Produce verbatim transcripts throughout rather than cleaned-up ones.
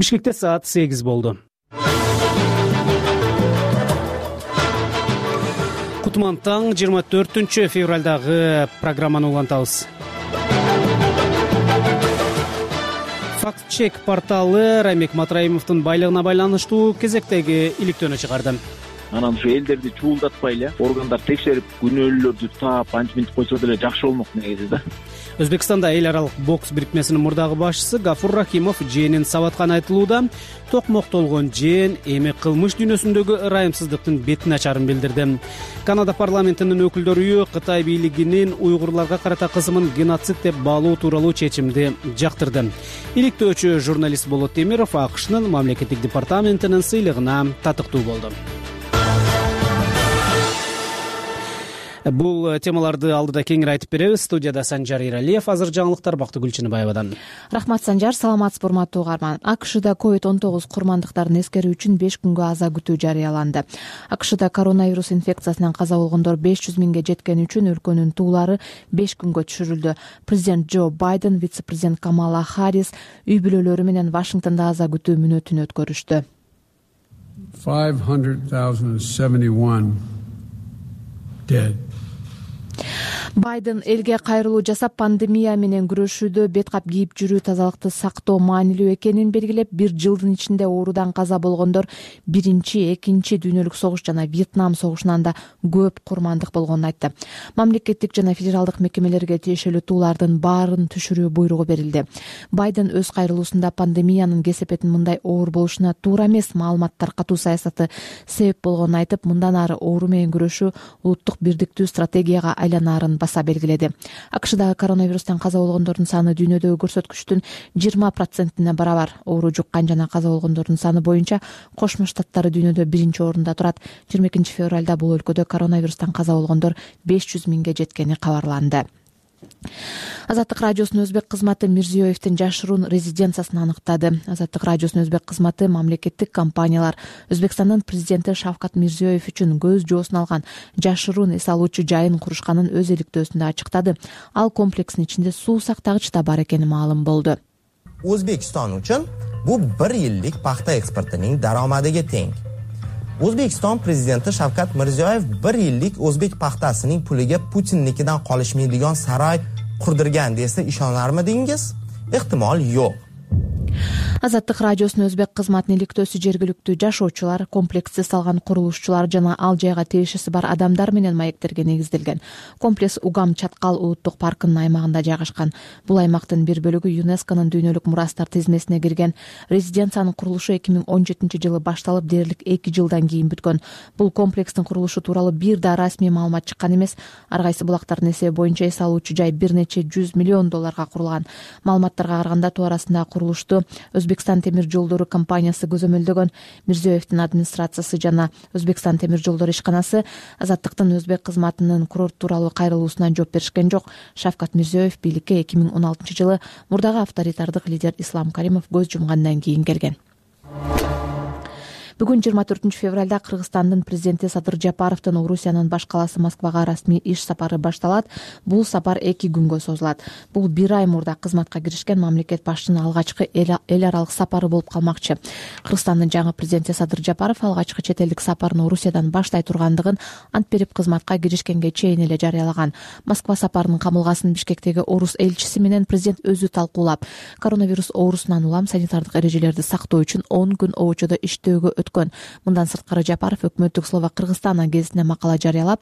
Бишкекте саат сегиз болду. Кутман таң жыйырма төртүнчү февралдагы программаны улантабыз. Фактчек порталы Рамек Матраимовдун байлыгына байланыштуу кезектеги иликтөөнү чыгарды. Анан ушу элдерди чуулдатпай эле органдар текшерип күнөөлөрдү таап анча минтип койсо деле жакшы болмок негизи да. Өзбекстанда эл аралык бокс бирикмесинин мурдагы башчысы Гафур Рахимов жээнин сабаткан айтылууда токмоктолгон жээн эми кылмыш дүйнөсүндөгү ырайымсыздыктын бет начарын билдирди. Канада парламентинин өкүлдөр үйү Кытай бийлигинин уйгурларга карата кысымын геноцид деп баалоо тууралуу чечимди жактырды. Иликтөөчү журналист Болот Темиров АКШнын мамлекеттик департаментинин сыйлыгына татыктуу болду. Бул темаларды алдыда кеңири айтып беребиз. Студияда Санжар Иралиев, азыр жаңылыктар Бактыгүл Чыныбаевадан. Рахмат Санжар, саламатсызбы урматтуу угарман. АКШда ковид он тогуз курмандыктарын эскерүү үчүн беш күнгө аза күтүү жарыяланды. АКШда коронавирус инфекциясынан каза болгондор беш жүз миңге жеткени үчүн өлкөнүн туулары беш күнгө түшүрүлдү. Президент Джо Байден, вице-президент Камала Харрис үй бүлөлөрү менен Вашингтондо аза күтүү мүнөтүн өткөрүштү. five hundred thousand seventy-one dead. Байден элге кайрылуу жасап, пандемия менен күрөшүүдө бет кап кийип жүрүү, тазалыкты сактоо маанилүү экенин белгилеп, бир жылдын ичинде оорудан каза болгондор биринчи, экинчи дүйнөлүк согуш жана Вьетнам согушунан да көп курмандык болгонун айтты. Мамлекеттик жана федералдык мекемелерге тиешелүү туулардын баарын түшүрүү буйругу берилди. Байден өз кайрылуусунда пандемиянын кесепетин мындай оор болушуна туура эмес маалымат таркатуу саясаты себеп болгонун айтып, мындан ары оору менен күрөшүү улуттук бирдиктүү стратегияга айланаарын баса белгиледи. АКШдагы коронавирустан каза болгондордун саны дүйнөдөгү көрсөткүчтүн жыйырма процентине барабар. Оору жуккан жана каза болгондордун саны боюнча Кошмо Штаттары дүйнөдө биринчи орунда турат. жыйырма экинчи февралда бул өлкөдө коронавирустан каза болгондор беш жүз миңге жеткени кабарланды. Азаттык радиосунун өзбек кызматы Мирзиёевдин жашыруун резиденциясын аныктады. Азаттык радиосунун өзбек кызматы мамлекеттик компаниялар Өзбекстандын президенти Шавкат Мирзиёев үчүн көз жоосун алган жашыруун эс алуучу жайын курушканын өз иликтөөсүндө ачыктады. Ал комплекстин ичинде суу сактагыч да бар экени маалым болду. O'zbekiston uchun bu bir yillik paxta eksportining daromadiga teng. O'zbekiston prezidenti Shavkat Mirziyoyev bir yillik o'zbek paxtasining puliga Putinnikidan qolishmaydigan saroy qurdirgan desa ishonarmidingiz? Ehtimol yo'q. Азаттык радиосунун өзбек кызматынын иликтөөсү жергиликтүү жашоочулар, комплексти салган курулушчулар жана ал жайга тиешеси бар адамдар менен маектерге негизделген. Комплекс Угам Чаткал улуттук паркынын аймагында жайгашкан. Бул аймактын бир бөлүгү ЮНЕСКОнун дүйнөлүк мурастар тизмесине кирген. Резиденциянын курулушу эки миң он жетинчи жылы башталып, дээрлик эки жылдан кийин бүткөн. Бул комплекстин курулушу тууралуу бир да расмий маалымат чыккан эмес. Ар кайсы булактардын эсеби боюнча эс алуучу жай бир нече жүз миллион долларга курулган. Маалыматтарга караганда тоо арасындагы курулушту Өзбекстан темир жолдору компаниясы көзөмөлдөгөн. Мирзиёевдин администрациясы жана Өзбекстан темир жолдору ишканасы Азаттыктын өзбек кызматынын курорт тууралуу кайрылуусуна жооп беришкен жок. Шавкат Мирзиёев бийликке эки миң он алтынчы жылы мурдагы авторитардык лидер Ислам Каримов көз жумгандан кийин келген. Бүгүн жыйырма төртүнчү февралда Кыргызстандын президенти Садыр Жапаровдун Орусиянын баш калаасы Москвага расмий иш сапары башталат. Бул сапар эки күнгө созулат. Бул бир ай мурда кызматка киришкен мамлекет башчынын алгачкы эл аралык сапары болуп калмакчы. Кыргызстандын жаңы президенти Садыр Жапаров алгачкы чет элдик сапарын Орусиядан баштай тургандыгын ант берип кызматка киришкенге чейин эле жарыялаган. Москва сапарынын камылгасын Бишкектеги орус элчиси менен президент өзү талкуулап, коронавирус оорусунан улам санитардык эрежелерди сактоо үчүн он күн обочодо иштөөгө Мындан сырткары Жапаров өкмөттүк Словак Кыргызстан гезитине макала жарыялап,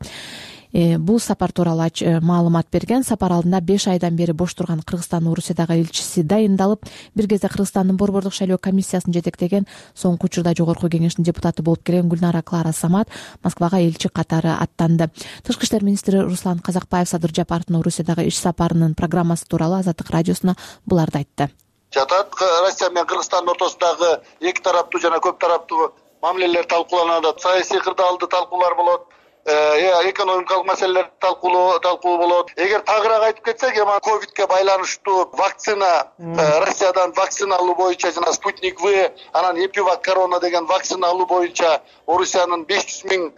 бул сапар тууралуу маалымат берген. Сапар алдында беш айдан бери бош турган Кыргызстан Орусиядагы элчиси дайындалып, бир кезде Кыргызстандын борбордук шайлоо комиссиясын жетектеген, соңку учурда жогорку кеңештин депутаты болуп келген Гүлнара Клара Самат Москвага элчи катары аттанды. Тышкы иштер министри Руслан Казакбаев Садыр Жапаровдун Орусиядагы иш сапарынын программасы тууралуу Азаттык радиосуна буларды айтты. Жатат Россия менен Кыргызстандын ортосундагы эки тараптуу жана көп тараптуу мамилелер талкууланат, саясий кырдаалды талкуулар болот, экономикалык маселелер талкуу талкуу болот. Эгер тагыраак айтып кетсек, эми ковидке байланыштуу вакцина, Россиядан вакцина алуу боюнча жана Спутник В, анан Эпивак корона деген вакцина алуу боюнча Орусиянын беш жүз миң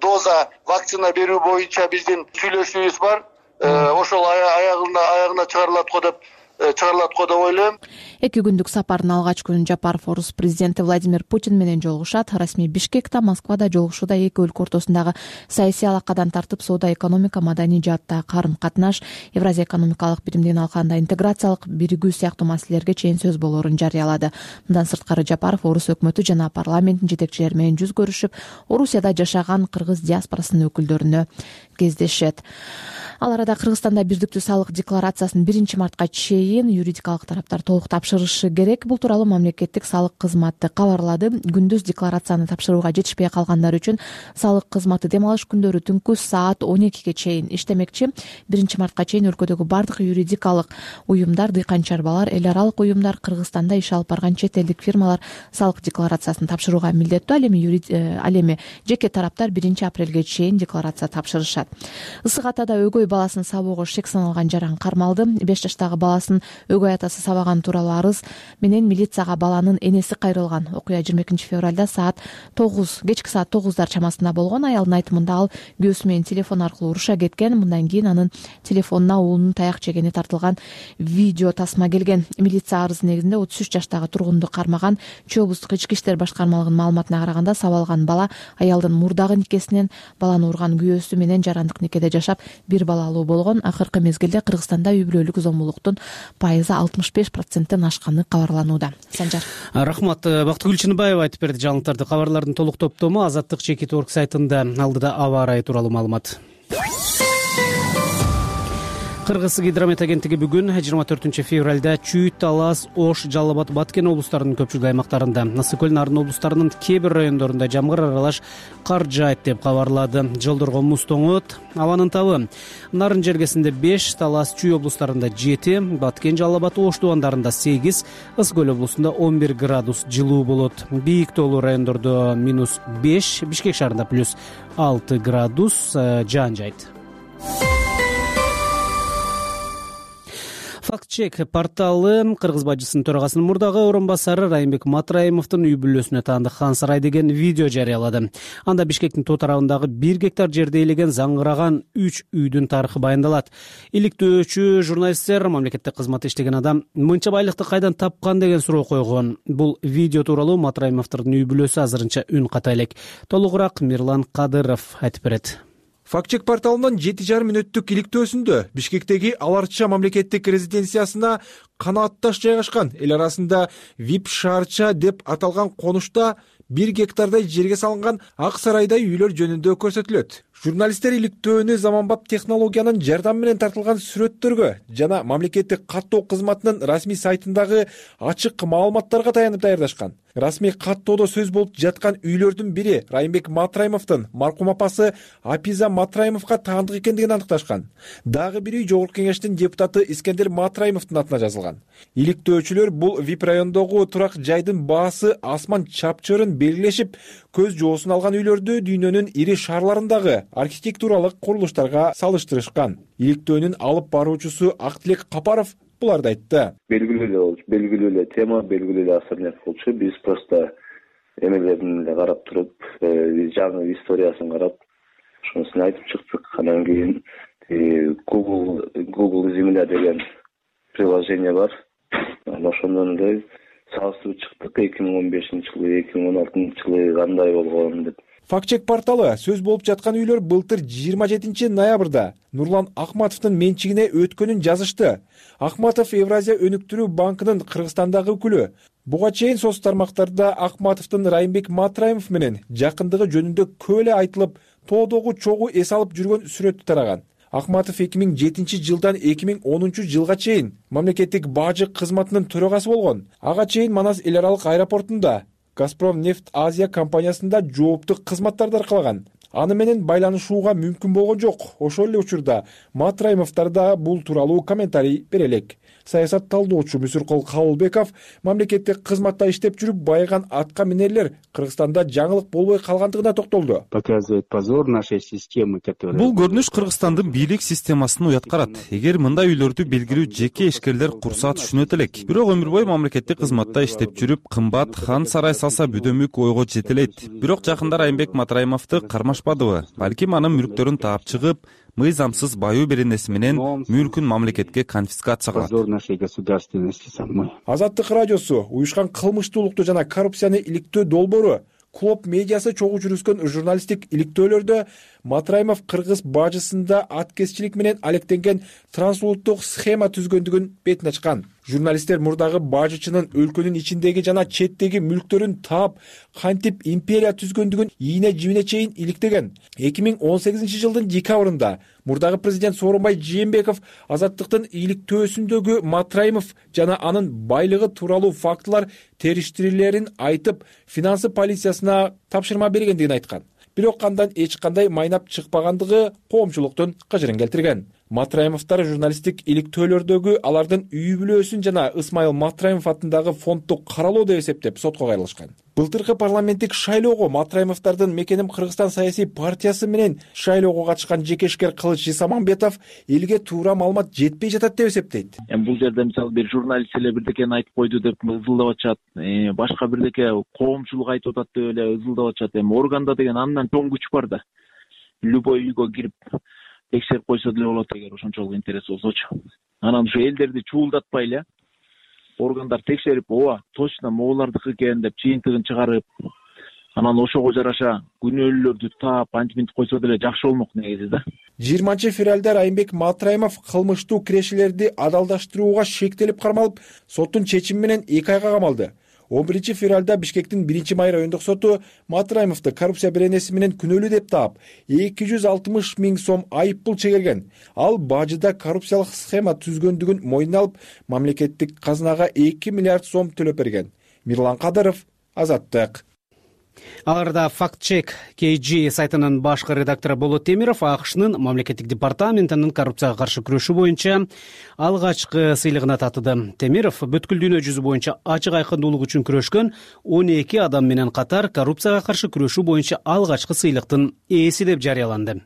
доза вакцина берүү боюнча биздин сүйлөшүүбүз бар. Ошол аягына аягына чыгарылат го деп чыгарылат го деп ойлойм. Эки күндүк сапардын алгач күнү Жапаров орус президенти Владимир Путин менен жолугушат. Расмий Бишкекте, Москвада жолугушууда эки өлкө ортосундагы саясий алакадан тартып соода, экономика, маданий жааттагы карым-катнаш, Евразия экономикалык биримдигин алкагында интеграциялык биригүү сыяктуу маселелерге чейин сөз болоорун жарыялады. Мындан сырткары Жапаров орус өкмөтү жана парламенттин жетекчилери менен жүз көрүшүп, Орусияда жашаган кыргыз диаспорасынын өкүлдөрүнө кездешет. Ал арада Кыргызстанда бирдиктүү салык декларациясын биринчи мартка чейин юридикалык тараптар толук тапшырышы керек. Бул тууралуу мамлекеттик салык кызматы кабарлады. Күндүз декларацияны тапшырууга жетишпей калгандар үчүн салык кызматы дем алыш күндөрү түнкү саат он экиге чейин иштемекчи. биринчи мартка чейин өлкөдөгү бардык юридикалык уюмдар, дыйканчарбалар, эл аралык уюмдар, Кыргызстанда иш алып барган чет элдик фирмалар салык декларациясын тапшырууга милдеттүү. Ал эми ал эми жеке тараптар биринчи апрелге чейин декларация тапшырышат. Ысык Атада өгөй баласын сабоого шек саналган жаран кармалды. беш жаштагы баласын өгөй атасы сабаган тууралуу арыз менен милицияга баланын энеси кайрылган. Окуя жыйырма экинчи февралда саат тогуз кечки саат тогуздар чамасында болгон. Аялдын айтымында ал күйөөсү менен телефон аркылуу уруша кеткен. Мындан кийин анын телефонуна уулунун таяк жегени тартылган видео тасма келген. Милиция арызы негизинде отуз үч жаштагы тургунду кармаган. Чүй облустук ички иштер башкармалыгынын маалыматына караганда сабалган бала аялдын мурдагы никесинен баланы урган күйөөсү менен жарандык никеде жашап бир балалуу болгон. Акыркы мезгилде Кыргызстанда үй бүлөлүк зомбулуктун пайызы алтымыш беш проценттен ашканы кабарланууда. Санжар. Рахмат. Бактыгүл Чыныбаева айтып берди жаңылыктарды. Кабарлардын толук топтому Азаттык чекит точка орг сайтында. Алдыда аба ырайы тууралуу маалымат. Кыргыз гидромет агенттиги бүгүн жыйырма төртүнчү февралда Чүй, Талас, Ош, Жалал Абад, Баткен облустарынын көпчүлүк аймактарында, Ысык көл, Нарын облустарынын кээ бир райондорунда жамгыр аралаш кар жаайт деп кабарлады. Жолдорго муз тоңот, абанын табы. Нарын жергесинде беш, Талас, Чүй облустарында жети, Баткен, Жалал Абад, Ош тубандарында сегиз, Ысык көл облусунда он бир градус жылуу болот. Бийик тоолуу райондордо минус беш, Бишкек шаарында плюс алты градус жаан жайт. Факт-чек порталы Кыргыз бажысынын төрагасынын мурдагы орун басары Райымбек Матраимовдун үй бүлөсүнө таандык Хан сарай деген видео жарыялады. Анда Бишкектин тоо тарабындагы бир гектар жерде ээлеген заңгыраган үч үйдүн тарыхы баяндалат. Иликтөөчү журналисттер мамлекеттик кызматта иштеген адам мынча байлыкты кайдан тапкан деген суроо койгон. Бул видео тууралуу Матраимовдун үй бүлөсү азырынча үн ката элек. Толугураак Мирлан Кадыров айтып берет. Факт-чек порталынын жети жарым мүнөттүк иликтөөсүндө Бишкектеги Аларча мамлекеттик резиденциясына канаатташ жайгашкан эл арасында вип шаарча деп аталган конушта бир гектардай жерге салынган ак сарайдай үйлөр жөнүндө көрсөтүлөт. Журналисттер иликтөөнү заманбап технологиянын жардамы менен тартылган сүрөттөргө жана мамлекеттик каттоо кызматынын расмий сайтындагы ачык маалыматтарга таянып даярдашкан. Расмий каттоодо сөз болуп жаткан үйлөрдүн бири Райымбек Матраимовдун маркум апасы Апиза Матраимовго таандык экендигин аныкташкан. Дагы бир үй Жогорку кеңештин депутаты Искендер Матраимовдун атына жазылган. Иликтөөчүлөр бул вип райондогу турак жайдын баасы асман чапчырын белгилешип, көз жоосун алган үйлөрдү дүйнөнүн ири шаарларындагы архитектуралык курулуштарга салыштырышкан. Иликтөөнүн алып баруучусу Актилек Капаров буларды айтты. Белгилүү эле болчу, белгилүү эле тема, белгилүү эле особняк болчу. Биз просто эмелерин эле карап туруп, жаңы историясын карап, ошонусун айтып чыктык. Анан кийин Google Google Земля деген приложение бар. Ошондон эле салыштырып чыктык эки миң он бешинчи жылы, эки миң он алтынчы жылы кандай болгон деп. Факт-чек порталы сөз болуп жаткан үйлөр былтыр жыйырма жетинчи ноябрда Нурлан Акматовдун менчигине өткөнүн жазышты. Акматов Евразия өнүктүрүү банкынын Кыргызстандагы өкүлү. Буга чейин соц тармактарда Акматовдун Райымбек Матраимов менен жакындыгы жөнүндө көп эле айтылып, тоодогу чогуу эс алып жүргөн сүрөттү тараган. Акматов эки миң жетинчи жылдан эки миң онунчу жылга чейин мамлекеттик бажы кызматынын төрагасы болгон. Ага чейин Манас эл аралык аэропортунда Газпром нефть Азия компаниясында жооптуу кызматтарды аркалаган. Аны менен байланышууга мүмкүн болгон жок. Ошол эле учурда Матраимовдор да бул тууралуу комментарий бере элек. Саясат талдоочу Мүсүркол Кабылбеков мамлекеттик кызматта иштеп жүрүп байыган атка минерлер Кыргызстанда жаңылык болбой калгандыгына токтолду. Показывает позор нашей системы, которая... Бул көрүнүш Кыргызстандын бийлик системасын уят карат. Эгер мындай үйлөрдү белгилүү жеке ишкерлер курса түшүнөт элек. Бирок өмүр бою мамлекеттик кызматта иштеп жүрүп, кымбат Хан сарай салса бүдөмүк ойго жете элет. Бирок жакында Райымбек Матраимовду кармашпадыбы? Балким анын мүлктөрүн таап чыгып, мыйзамсыз баюу беренеси менен мүлкүн мамлекетке конфискация кылат. Позор нашей государственности самой. Азаттык радиосу уюшкан кылмыштуулукту жана коррупцияны иликтөө долбоору Клоп медиасы чогуу жүргүзгөн журналисттик иликтөөлөрдө Матраимов кыргыз бажысында аткезчилик менен алектенген трансулуттук схема түзгөндүгүн бетин ачкан. Журналисттер мурдагы бажычынын өлкөнүн ичиндеги жана четтеги мүлктөрүн таап, кантип империя түзгөндүгүн ийине жибине чейин иликтеген. эки миң он сегизинчи жылдын декабрында мурдагы президент Сооронбай Жээнбеков азаттыктын иликтөөсүндөгү Матраимов жана анын байлыгы тууралуу фактылар териштирилерин айтып, финансы полициясына тапшырма бергендигин айткан. Бирок андан эч кандай майнап чыкпагандыгы коомчулуктун кыжырын келтирген. Матраимовдор журналисттик иликтөөлөрдөгү алардын үй бүлөсүн жана Ысмайыл Матраимов атындагы фондду каралоо деп эсептеп сотко кайрылышкан. Былтыркы парламенттик шайлоого Матраимовдордун Мекеним Кыргызстан саясий партиясы менен шайлоого катышкан жекешкер Кылыч Исамамбетов элге туура маалымат жетпей жатат деп эсептейт. Эми бул жерде мисалы бир журналист эле бирдекени айтып койду деп ызылдап атышат, башка бирдеке коомчулук айтып атат деп эле ызылдап атышат. Эми органда деген андан чоң күч бар да. Любой үйгө кирип текшерип койсо деле болот эгер ошончолук интерес болсочу. Анан ушу элдерди чуулдатпай эле органдар текшерип, ооба, точно могулардыкы экен деп чыйынтыгын чыгарып, анан ошого жараша күнөөлүүлөрдү таап, антип мынтип койсо деле жакшы болмок негизи да. жыйырманчы февралда Райымбек Матраимов кылмыштуу кирешелерди адалдаштырууга шектелип кармалып, соттун чечими менен эки айга камалды. он биринчи февралда Бишкектин биринчи май райондук соту Матраимовду коррупция беренеси менен күнөөлүү деп таап, эки жүз алтымыш миң сом айып пул чегерген. Ал бажыда коррупциялык схема түзгөндүгүн мойнуна алып, мамлекеттик казынага эки миллиард сом төлөп берген. Мирлан Кадыров, Азаттык. Аларда факт-чек кей джи сайтынын башкы редактору Болот Темиров АКШнын мамлекеттик департаментинин коррупцияга каршы күрөшүү боюнча алгачкы сыйлыгына татыды. Темиров бүткүл дүйнө жүзү боюнча ачык айкындуулук үчүн күрөшкөн он эки адам менен катар коррупцияга каршы күрөшүү боюнча алгачкы сыйлыктын ээси деп жарыяланды.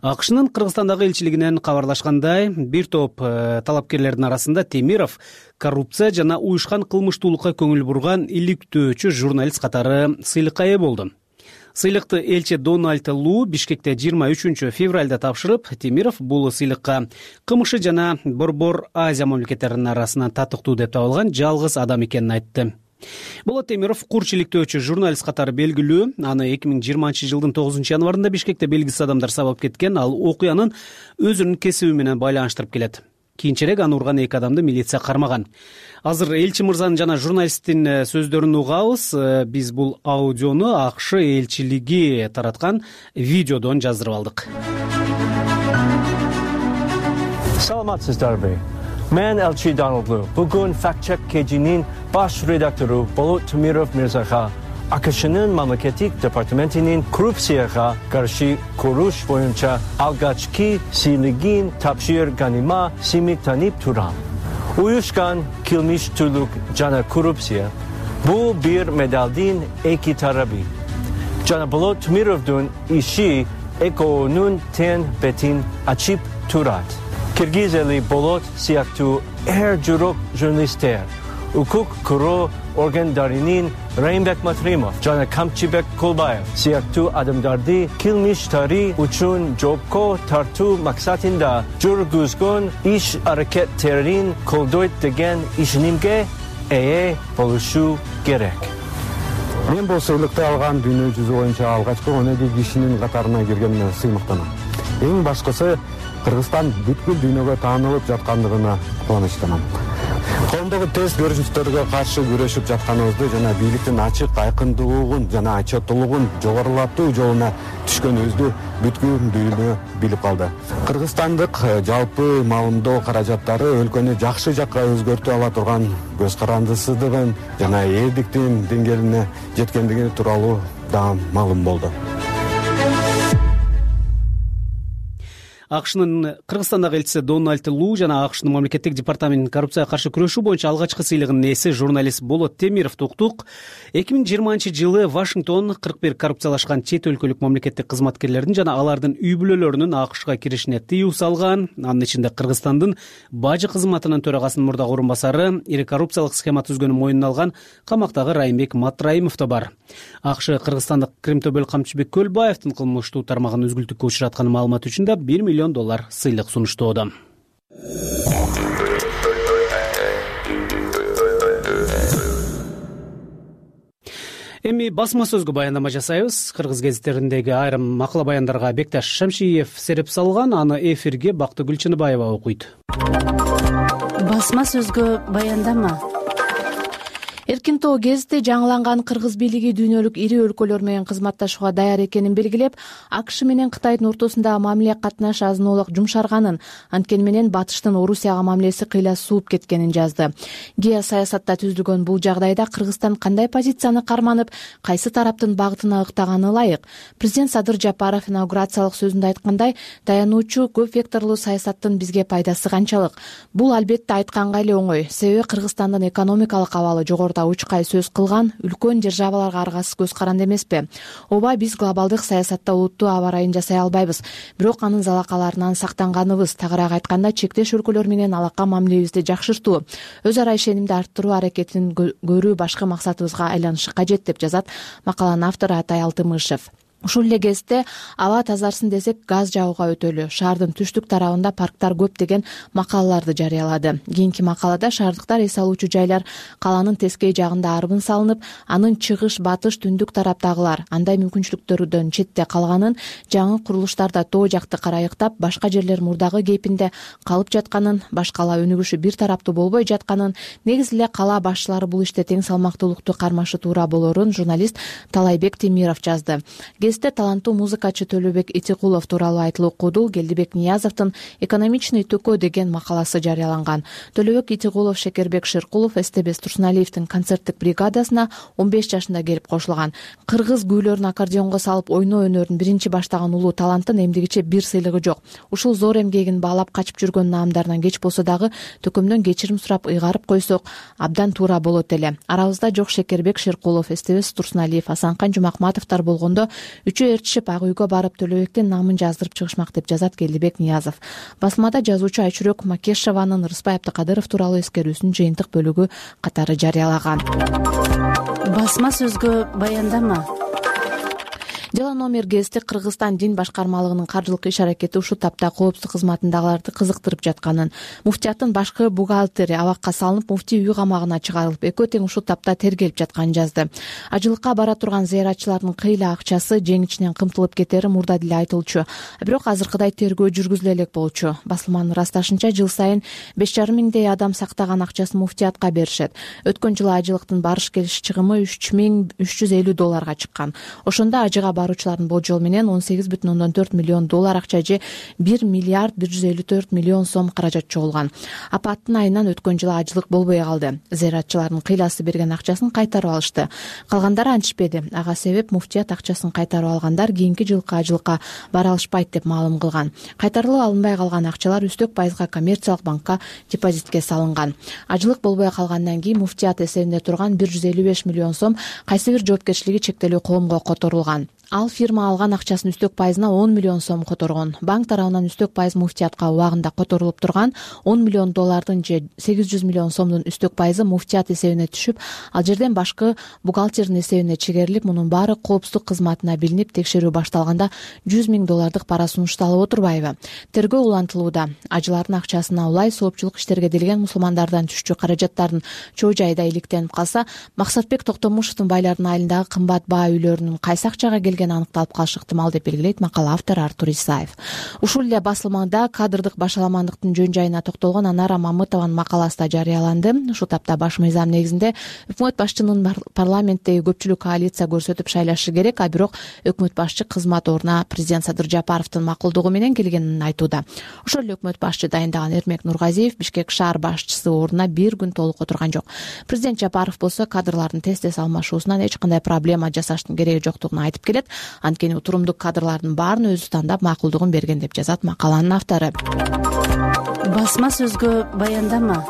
АКШнын Кыргызстандагы элчилигинен кабарлашкандай, бир топ э, талапкерлердин арасында Темиров коррупция жана уюшкан кылмыштуулукка көңүл бурган иликтөөчү журналист катары сыйлыкка ээ болду. Сыйлыкты элчи Дональд Лу Бишкекте жыйырма үчүнчү февралда тапшырып, Темиров бул сыйлыкка Кымшы жана Борбор Азия мамлекеттеринин арасынан татыктуу деп табылган жалгыз адам экенин айтты. Болот Темиров курч иликтөөчү журналист катары белгилүү. Аны эки миң жыйырманчы жылдын тогузунчу январында Бишкекте белгисиз адамдар сабап кеткен. Ал окуянын өзүнүн кесиби менен байланыштырып келет. Кийинчерээк аны урган эки адамды милиция кармаган. Азыр элчи мырзанын жана журналисттин сөздөрүн угабыз. Биз бул аудиону АКШ элчилиги тараткан видеодон жаздырып алдык. Саламатсыздарбы? Мен элчи Donald Lu. Бүгүн факт-чек кежинин баш редактору Болот Темиров мырзага АКШнын мамлекеттик департаментинин коррупцияга каршы күрөш боюнча алгачкы сыйлыгын тапшырганыма симиктанип турам. Уюшкан кылмыштуулук жана коррупция бул бир медалдын эки тарабы. Жана Болот Темировдун иши экөөнүн тең бетин ачып турат. Кыргыз эли Болот сыяктуу эр журок журналисттер, укук коргоо органдарынын Райымбек Матраимов жана Камчыбек Кулбаев сыяктуу адамдарды кылмыштары үчүн жоопко тартуу максатында жүргүзгөн иш аракеттерин колдойт деген ишенимге ээ болушу керек. Мен бул сыйлыкты алган дүйнө жүзү боюнча алгачкы он эки кишинин катарына киргениме сыймыктанам. Эң башкысы Кыргызстан бүткүл дүйнөгө таанылып жаткандыгына кубанычтанам. Коомдогу терс көрүнүштөргө каршы күрөшүп жатканыбызды жана бийликтин ачык айкындуулугун жана отчеттуулугун жогорулатуу жолуна түшкөнүбүздү бүткүл дүйнө билип калды. Кыргызстандык жалпы маалымдоо каражаттары өлкөнү жакшы жакка өзгөртүп ала турган көз карандысыздыгын жана элдиктин деңгээлине жеткендиги тууралуу да маалым болду. акшнын Кыргызстандагы элчиси Дональд Лу жана акшнын мамлекеттик департаментинин коррупцияга каршы күрөшүү боюнча алгачкы сыйлыгынын ээси журналист Болот Темировду уктук. эки миң жыйырманчы жылы Вашингтон кырк бир коррупциялашкан чет өлкөлүк мамлекеттик кызматкерлердин жана алардын үй бүлөлөрүнүн акшга киришине тыюу салган. Анын ичинде Кыргызстандын бажы кызматынын төрагасынын мурдагы орун басары, ири коррупциялык схема түзгөнүн мойнуна алган камактагы Райымбек Матраимов да бар. акш кыргызстандык Кремтобел Камчыбек Көлбаевдин кылмыштуу тармагын үзгүлтүккө учуратканы маалымат үчүн да бир миллион доллар сыйлык сунуштоодо. Эми басма сөзгө баяндама жасайбыз. Кыргыз гезиттериндеги айрым макала баяндарга Бекташ Шамшиев сереп салган, аны эфирге Бактыгүл Чыныбаева окуйт. Басма сөзгө баяндама. Эркин Тоо гезити жаңыланган кыргыз бийлиги дүйнөлүк ири өлкөлөр менен кызматташууга даяр экенин белгилеп, акш менен Кытайдын ортосундагы мамиле катнаш азыноолук жумшарганын, анткени менен батыштын Орусияга мамилеси кыйла сууп кеткенин жазды. Геосаясатта түзүлгөн бул жагдайда Кыргызстан кандай позицияны карманып, кайсы тараптын багытына ыктаганы ылайык? Президент Садыр Жапаров инаугурациялык сөзүндө айткандай, таянуучу көп векторлуу саясаттын бизге пайдасы канчалык? Бул албетте айтканга эле оңой, себеби Кыргызстандын экономикалык абалы жогоруда учкай сөз кылган үлкөн державаларга аргасыз көз каранды эмеспи? Ооба, биз глобалдык саясатта олуттуу аба ырайын жасай албайбыз, бирок анын залакаларынан сактанганыбыз, тагыраак айтканда чектеш өлкөлөр менен алака мамилебизди жакшыртуу, өз ара ишенимди арттыруу аракетин көрүү башкы максатыбызга айланышы кажет, деп жазат макаланын автору Атай Алтымышев. Ушул эле кезде аба тазарсын десек, газ жагууга өтөлү, шаардын түштүк тарабында парктар көп деген макалаларды жарыялады. Кийинки макалада шаардыктар эс алуучу жайлар каланын тескей жагында арбын салынып, анын чыгыш, батыш, түндүк тараптагылар андай мүмкүнчүлүктөрдөн четте калганын, жаңы курулуштарда тоо жакты карайыктап, башка жерлер мурдагы кейпинде калып жатканын, баш кала өнүгүшү бир тараптуу болбой жатканын, негизи эле кала башчылары бул иште тең салмактуулукту кармашы туура болорун журналист Талайбек Темиров жазды. Гезитте таланттуу музыкачы Төлөбек Итикулов тууралуу айтылып окуду. Келдибек Ниязовдун «Экономичный төкө» деген макаласы жарыяланган. Төлөбек Итикулов Шекербек Шеркулов Эстебес Турсуналиевдин концерттик бригадасына он беш жашында келип кошулган. Кыргыз күүлөрүн аккордеонго салып ойноо өнөрүн биринчи баштаган улуу таланттын эмдигиче бир сыйлыгы жок. Ушул зор эмгегин баалап качып жүргөн наамдарынан кеч болсо дагы төкөмдөн кечирим сурап ыйгарып койсок абдан туура болот эле. Арабызда жок Шекербек Шеркулов, Эстебес Турсуналиев, Асанкан Жумакматовдор болгондо үчөө ээрчишип ак үйгө барып Төлөбектин наамын жаздырып чыгышмак, деп жазат Келдибек Ниязов. Басмада жазуучу Айчүрөк Макешованын Рыспай Абдыкадыров тууралуу эскерүүсүнүн жыйынтык бөлүгү катары жарыялаган. Басма сөзгө баяндама. Дела номер гезити Кыргызстан дин башкармалыгынын каржылык иш-аракети ушул тапта коопсуздук кызматындагыларды кызыктырып жатканын, муфтияттын башкы бухгалтери абакка салынып, муфтий үй камагына чыгарылып, экөө тең ушул тапта тергелип жатканын жазды. Ажылыкка бара турган зыяратчылардын кыйла акчасы жең ичинен кымтылып кетери мурда деле айтылчу, бирок азыркыдай тергөө жүргүзүлө элек болчу. Басылманын ырасташынча, жыл сайын беш жарым миңдей адам сактаган акчасын муфтиятка беришет. Өткөн жылы ажылыктын барыш келиш чыгымы үч миң үч жүз элүү долларга чыккан. Ошондо ажыга баруучулардын болжол менен он сегиз бүтүн ондон төрт миллион доллар акча же бир миллиард бир жүз элүү төрт миллион сом каражат чогулган. Апаттын айынан өткөн жылы ажылык болбой калды. Зыяратчылардын кыйласы берген акчасын кайтарып алышты. Калгандары антишпеди. Ага себеп муфтият акчасын кайтарып алгандар кийинки жылкы ажылыкка бара алышпайт деп маалым кылган. Кайтарылып алынбай калган акчалар үстөк пайызга коммерциялык банкка депозитке салынган. Ажылык болбой калгандан кийин муфтият эсебинде турган бир жүз элүү беш миллион сом кайсы бир жоопкерчилиги чектелүү коомго которулган. Ал фирма алган акчасын үстөк пайызына он миллион сом которгон. Банк тарабынан үстөк пайыз муфтиятка убагында которулуп турган он миллион доллардын же сегиз жүз миллион сомдун үстөк пайызы муфтият эсебине түшүп, ал жерден башкы бухгалтердин эсебине чегерилип, мунун баары коопсуздук кызматына билинип, текшерүү башталганда жүз миң доллардык пара сунушталып отурбайбы? Тергөө улантылууда. Ажылардын акчасына улай соопчулук иштерге делген мусулмандардан түшчү каражаттардын чоо жайда иликтенип калса, Максатбек Токтомушевдун байлардын айылындагы кымбат баа үйлөрүнүн кайсы акчага келгени аныкталып калышы ыктымал, деп белгилейт макала автору Артур Исаев. Ушул эле басылмада кадрдык башаламандыктын жөн жайына токтолгон Анара Мамытованын макаласы да жарыяланды. Ушул тапта баш мыйзам негизинде өкмөт башчынын парламенттеги көпчүлүк коалиция көрсөтүп шайлашы керек, а бирок өкмөт башчы кызмат ордуна президент Садыр Жапаровдун макулдугу менен келгенин айтууда. Ошол эле өкмөт башчы дайындаган Эрмек Нургазиев Бишкек шаар башчысы ордуна бир күн толук отурган жок. Президент Жапаров болсо кадрлардын тез-тез алмашуусунан эч кандай проблема жасаштын кереги жоктугун айтып келет. Анткени утурумдуу кадрлардын баарын өзү тандап макулдугун берген деп жазат макаланын автору. Басма сөзгө баяндама.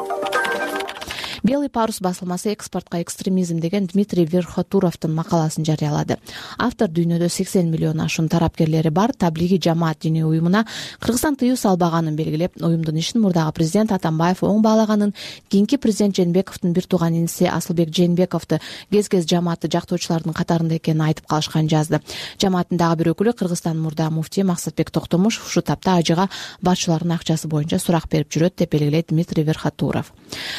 Белый парус басылмасы экспортко экстремизм деген Дмитрий Верхотуровдун макаласын жарыялады. Автор дүйнөдө сексен миллион ашуун тарапкерлери бар таблиги жамаат диний уюмуна Кыргызстан тыюу салбаганын белгилеп, уюмдун ишин мурдагы президент Атамбаев оң баалаганын, кийинки президент Жээнбековдун бир тууган иниси Асылбек Жээнбековду кез-кез жамаатты жактоочулардын катарында экенин айтып калышканын жазды. Жамааттын дагы бир өкүлү Кыргызстандын мурдагы муфтии Максатбек Токтомушев ушул тапта ажыга башчылардын акчасы боюнча сурак берип жүрөт деп белгилейт Дмитрий Верхотуров.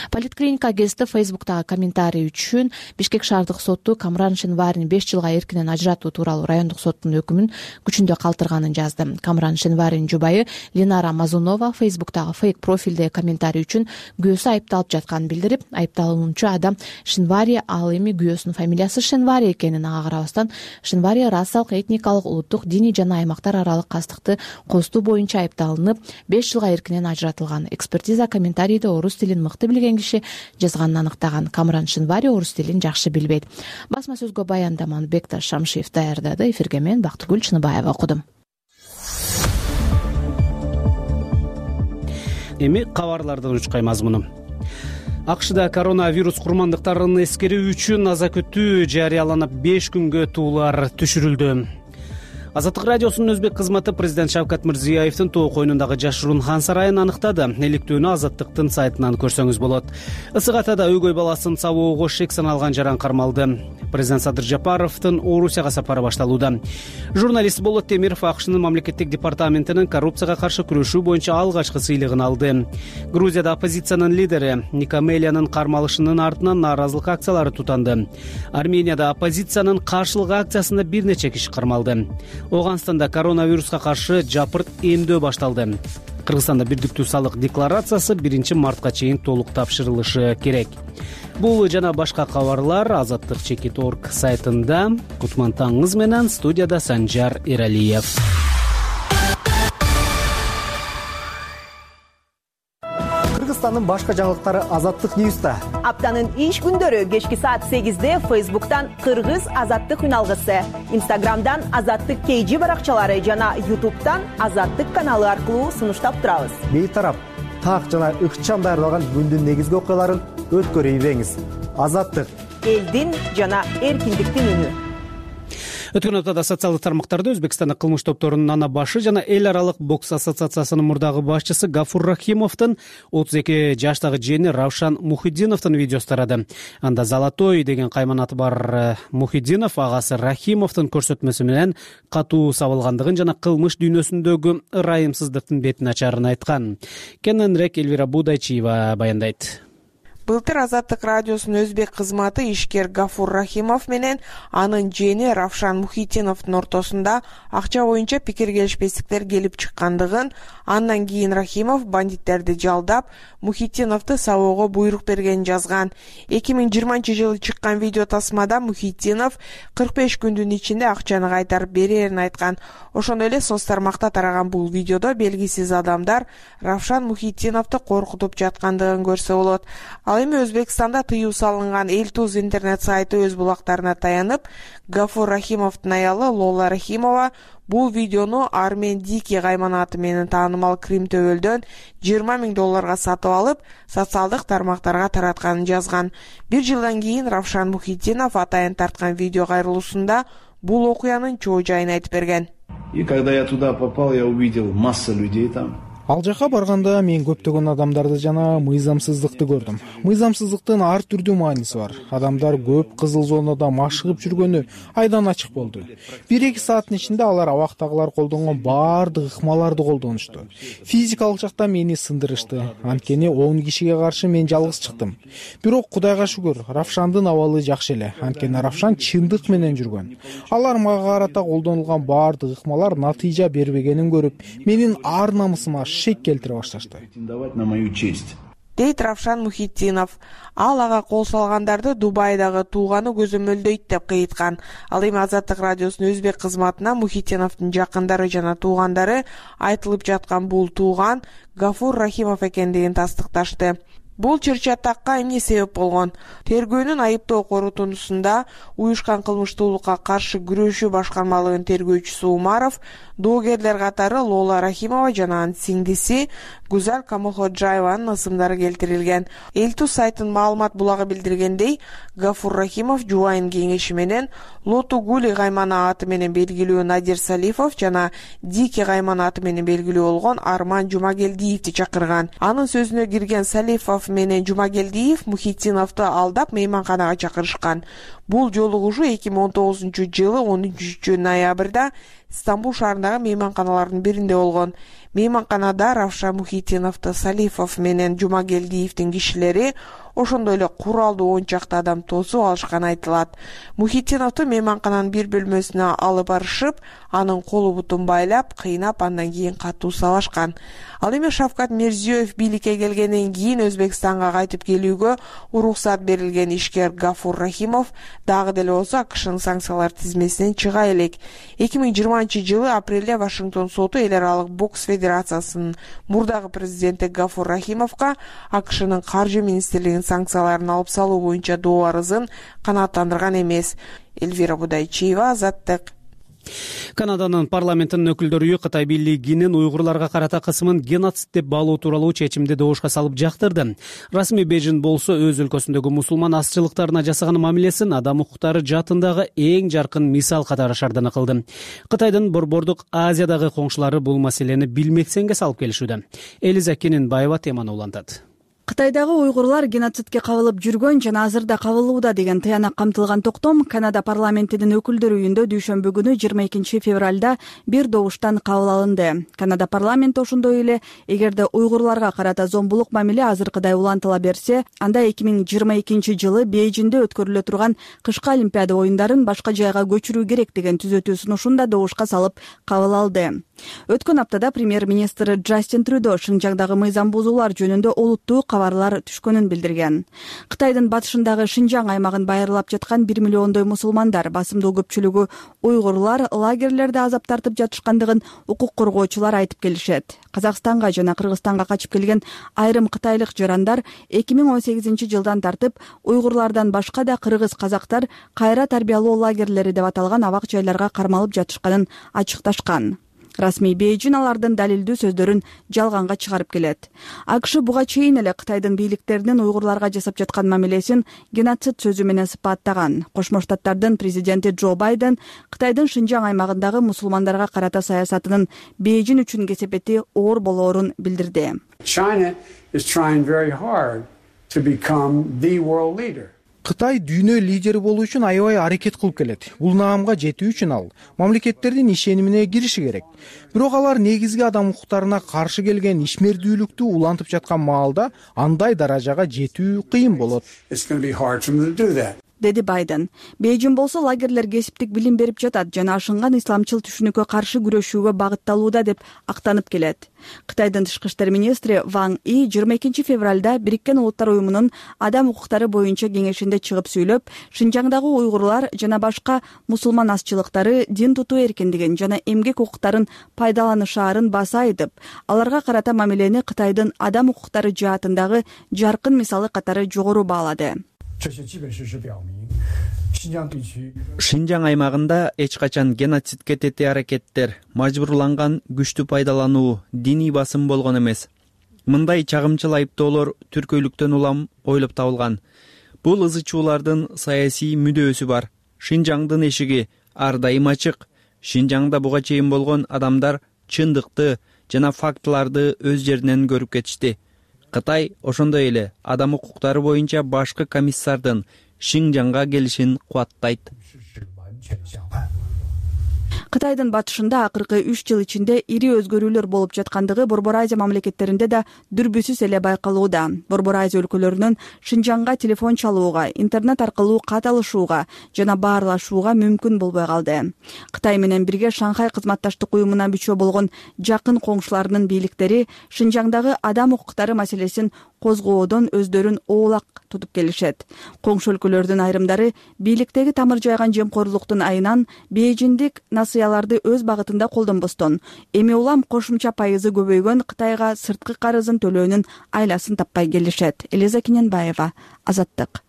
Политклиника гезити Фейсбуктагы комментарий үчүн Бишкек шаардык соту Камран Шенварини беш жылга эркинен ажыратуу тууралуу райондук соттун өкүмүн күчүндө калтырганын жазды. Камран Шенваринин жубайы Ленара Мазунова Фейсбуктагы фейк профилде комментарий үчүн күйөөсү айыпталып жатканын билдирип, айыпталуучу адам Шенвари, ал эми күйөөсүнүн фамилиясы Шенвари экенин ага карабастан Шенвари расалык, этникалык, улуттук, диний жана аймактар аралык кастыкты костуу боюнча айыпталынып, беш жылга эркинен ажыратылган. Экспертиза комментарийде орус тилин мыкты билген киши жазганын аныктаган. Камран Шенвари орус тилин жакшы билбейт. Басма сөзгө баяндаманы Бекташ Шамшиев даярдады. Эфирге мен Бактыгүл Чыныбаева окудум. Эми кабарлардын учкай мазмуну. АКШда коронавирус курмандыктарын эскерүү үчүн аза күтүү жарыяланып беш күнгө туулар түшүрүлдү. Азаттык радиосунун өзбек кызматы президент Шавкат Мирзиёевдин тоо койнундагы жашыруун хан сарайын аныктады. Иликтөөнү Азаттыктын сайтынан көрсөңүз болот. Ысык Атада өгөй баласын сабоого шек саналган жаран кармалды. Президент Садыр Жапаровдун Орусияга сапары башталууда. Журналист Болот Темиров АКШнын мамлекеттик департаментинин коррупцияга каршы күрөшүү боюнча алгачкы сыйлыгын алды. Грузияда оппозициянын лидери Никамелиянын кармалышынын артынан нааразылык акциялары тутанды. Арменияда оппозициянын каршылык акциясында бир нече киши кармалды. Оганстанда коронавируска каршы жапырт эмдөө башталды. Кыргызстанда бирдиктүү салык декларациясы биринчи мартка чейин толук тапшырылышы керек. Бул жана башка кабарлар Азаттык чекит точка орг сайтында. Кутман таңыңыз менен, студияда Санжар Эралиев. Кыргызстандын башка жаңылыктары Азаттык Ньюста. Аптанын иш күндөрү кечки саат сегизде Фейсбуктан Кыргыз Азаттык үналгысы, Инстаграмдан Азаттык кей жи баракчалары жана Ютубтан Азаттык каналы аркылуу сунуштап турабыз. Бейтарап, так жана ыкчам даярдалган күндүн негизги окуяларын өткөрүбеңиз. Азаттык элдин жана эркиндиктин үнү. Өткөн аптада социалдык тармактарда Өзбекстандын кылмыш топторунун ана башы жана эл аралык бокс ассоциациясынын мурдагы башчысы Гафур Рахимовдун отуз эки жаштагы жээни Равшан Мухиддиновдун видеосу тарады. Анда Золотой деген кайман аты бар Мухиддинов агасы Рахимовдун көрсөтмөсү менен катуу сабылгандыгын жана кылмыш дүйнөсүндөгү ырайымсыздыктын бетин ачарын айткан. Кененирээк Элвира Будайчиева баяндайт. Былтыр Азаттык радиосунун өзбек кызматы ишкер Гафур Рахимов менен анын жээни Равшан Мухиддиновдун ортосунда акча боюнча пикир келишпестиктер келип чыккандыгын, андан кийин Рахимов бандиттерди жалдап, Мухиддиновду сабоого буйрук бергенин жазган. эки миң жыйырманчы жылы чыккан видео тасмада Мухиддинов кырк беш күндүн ичинде акчаны кайтарып берерин айткан. Ошондой эле соц тармакта тараган бул видеодо белгисиз адамдар Равшан Мухиддиновду коркутуп жаткандыгын көрсө болот. Ал эми Өзбекстанда тыюу салынган Элтуз интернет сайты өз булактарына таянып, Гафур Рахимовдун аялы Лола Рахимова бул видеону Армен Дики кайманаты менен таанымал Крим төбөлдөн жыйырма миң долларга сатып алып, социалдык тармактарга таратканын жазган. Бир жылдан кийин Равшан Мухиддинов атайын тарткан видео кайрылуусунда бул окуянын чоо жайын айтып берген. И когда я туда попал, я увидел масса людей там. Ал жака барганда мен көптөгөн адамдарды жана мыйзамсыздыкты көрдүм. Мыйзамсыздыктын ар түрдүү мааниси бар. Адамдар көп кызыл зонада машыгып жүргөнү айдан ачык болду. бир эки сааттын ичинде алар абактагылар колдонгон баардык ыкмаларды колдонушту. Физикалык жактан мени сындырышты. Анткени он кишиге каршы мен жалгыз чыктым. Бирок Кудайга шүгүр, Равшандын абалы жакшы эле. Анткени Равшан чындык менен жүргөн. Алар мага карата колдонулган баардык ыкмалар натыйжа бербегенин көрүп, менин ар намысыма шек келтире башташты. Дейт Равшан Мухиддинов. Ал ага кол салгандарды Дубайдагы тууганы көзөмөлдөйт деп кыйткан. Ал эми Азаттык радиосунун өзбек кызматына Мухиддиновдун жакындары жана туугандары айтылып жаткан бул тууган Гафур Рахимов экендигин тастыкташты. Бул чыр-чатакка эмне себеп болгон? Тергөөнүн айыптоо корутундусунда уюшкан кылмыштуулукка каршы күрөшүү башкармалыгынын тергөөчүсү Умаров, доогерлер катары Лола Рахимова жана анын сиңдиси Гузаль Камалходжаеванын ысымдары келтирилген. Элтус сайтынын маалымат булагы билдиргендей, Гафур Рахимов жубайын кеңеши менен Лоту Гули каймана аты менен белгилүү Надир Салифов жана Дики каймана аты менен белгилүү болгон Арман Жумагелдиевди чакырган. Анын сөзүнө кирген Салифов менен Жумагелдиев Мухитдиновду алдап мейманканага чакырышкан. Бул жолугушуу эки миң он тогузунчу жылы он үчүнчү ноябрда Стамбул шаарындагы мейманканалардын биринде болгон. Мейманканада Равшан Мухитдиновду Салифов менен Жумагелдиевдин кишилери, ошондой эле куралдуу он чакты адам тосуп алышканы айтылат. Мухитдиновду мейманкананын бир бөлмөсүнө алып барышып, анын колу бутун байлап, кыйнап, андан кийин катуу салашкан. Ал эми Шавкат Мирзиёев бийликке келгенден кийин Өзбекстанга кайтып келүүгө уруксат берилген ишкер Гафур Рахимов дагы деле болсо АКШнын санкциялар тизмесинен чыга элек. эки миң жыйырманчы жылы апрелде Вашингтон соту эл аралык бокс федерациясынын мурдагы президенти Гафур Рахимовго АКШнын каржы министрлигинин санкцияларын алып салуу боюнча доо арызын канааттандырган эмес. Эльвира Будайчиева, Азаттык. Канаданын парламентинин өкүлдөрү Кытай бийлигинин уйгурларга карата кысымын геноцид деп баалоо тууралуу чечимди добушка салып жактырды. Расмий Бейжин болсо өз өлкөсүндөгү мусулман азчылыктарына жасаган мамилесин адам укуктары жаатындагы эң жаркын мисал катары шаардана кылды. Кытайдын Борбордук Азиядагы коңшулары бул маселени билмексенге салып келишүүдө. Элиза Кененбаева теманы улантат. Кытайдагы уйгурлар геноцидке кабылып жүргөн жана азырда кабылууда деген тыянак камтылган токтом Канада парламентинин өкүлдөр үйүндө дүйшөмбү күнү жыйырма экинчи февралда бир добуштан кабыл алынды. Канада парламенти ошондой эле эгерде уйгурларга карата зомбулук мамиле азыркыдай улантыла берсе, анда эки миң жыйырма экинчи жылы Бейжинде өткөрүлө турган кышкы Олимпиада оюндарын башка жайга көчүрүү керек деген түзөтүү сунушун да добушка салып кабыл алды. Өткөн аптада премьер-министр Джастин Трюдо Шинжаңдагы мыйзам бузуулар жөнүндө олуттуу кабарлар түшкөнүн билдирген. Кытайдын батышындагы Шинжаң аймагын байырлап жаткан бир миллиондой мусулмандар, басымдуу көпчүлүгү уйгурлар, лагерлерде азап тартып жатышкандыгын укук коргоочулар айтып келишет. Казакстанга жана Кыргызстанга качып келген айрым кытайлык жарандар эки миң он сегизинчи жылдан тартып уйгурлардан башка да кыргыз казактар кайра тарбиялоо лагерлери деп аталган абак жайларга кармалып жатышканын ачыкташкан. Расмий Бейжин алардын далилдүү сөздөрүн жалганга чыгарып келет. АКШ буга чейин эле Кытайдын бийликтеринин уйгурларга жасап жаткан мамилесин геноцид сөзү менен сыпаттаган. Кошмо Штаттардын президенти Джо Байден Кытайдын Шинжаң аймагындагы мусулмандарга карата саясатынын Бейжин үчүн кесепети оор болоорун билдирди. China is trying very hard to become the world leader. Кытай дүйнө лидери болуу үчүн аябай аракет кылып келет. Бул наамга жетүү үчүн ал мамлекеттердин ишенимине кириши керек. Бирок алар негизги адам укуктарына каршы келген ишмердүүлүктү улантып жаткан маалда андай даражага жетүү кыйын болот, деди Байден. Бейжин болсо лагерлер кесиптик билим берип жатат жана ашынган исламчыл түшүнүккө каршы күрөшүүгө багытталууда деп актанып келет. Кытайдын тышкы иштер министри Ван И жыйырма экинчи февралда Бириккен Улуттар уюмунун адам укуктары боюнча кеңешинде чыгып сүйлөп, Шинжаңдагы уйгурлар жана башка мусулман азчылыктары дин тутуу эркиндигин жана эмгек укуктарын пайдаланышаарын баса айтып, аларга карата мамилени Кытайдын адам укуктары жаатындагы жаркын мисалы катары жогору баалады. Шинжаң аймагында эч качан геноцидке тети аракеттер, мажбурланган күчтү пайдалануу, диний басым болгон эмес. Мындай чагымчыл айыптоолор түркөйлүктөн улам ойлоп табылган. Бул ызы чуулардын саясий мүдөөсү бар. Шинжаңдын эшиги ар дайым ачык. Шинжаңда буга чейин болгон адамдар чындыкты жана фактыларды өз жеринен көрүп кетишти. Кытай ошондой эле адам укуктары боюнча башкы комиссардын Шинжаңга келишин кубаттайт. Кытайдын батышында акыркы үч жыл ичинде ири өзгөрүүлөр болуп жаткандыгы Борбор Азия мамлекеттеринде да дүрбүсүз эле байкалууда. Борбор Азия өлкөлөрүнөн Шинжаңга телефон чалууга, интернет аркылуу кат алышууга жана баарлашууга мүмкүн болбой калды. Кытай менен бирге Шанхай кызматташтык уюмуна мүчө болгон жакын коңшуларынын бийликтери Шинжаңдагы адам укуктары маселесин козгоодон өздөрүн оолак тутуп келишет. Коңшу өлкөлөрдүн айрымдары бийликтеги тамыр жайган жемкорлуктун айынан Бейжиндик насыя санкцияларды өз багытында колдонбостон эми улам кошумча пайызы көбөйгөн Кытайга сырткы карызын төлөөнүн айласын таппай келишет. Элиза Кененбаева, Азаттык.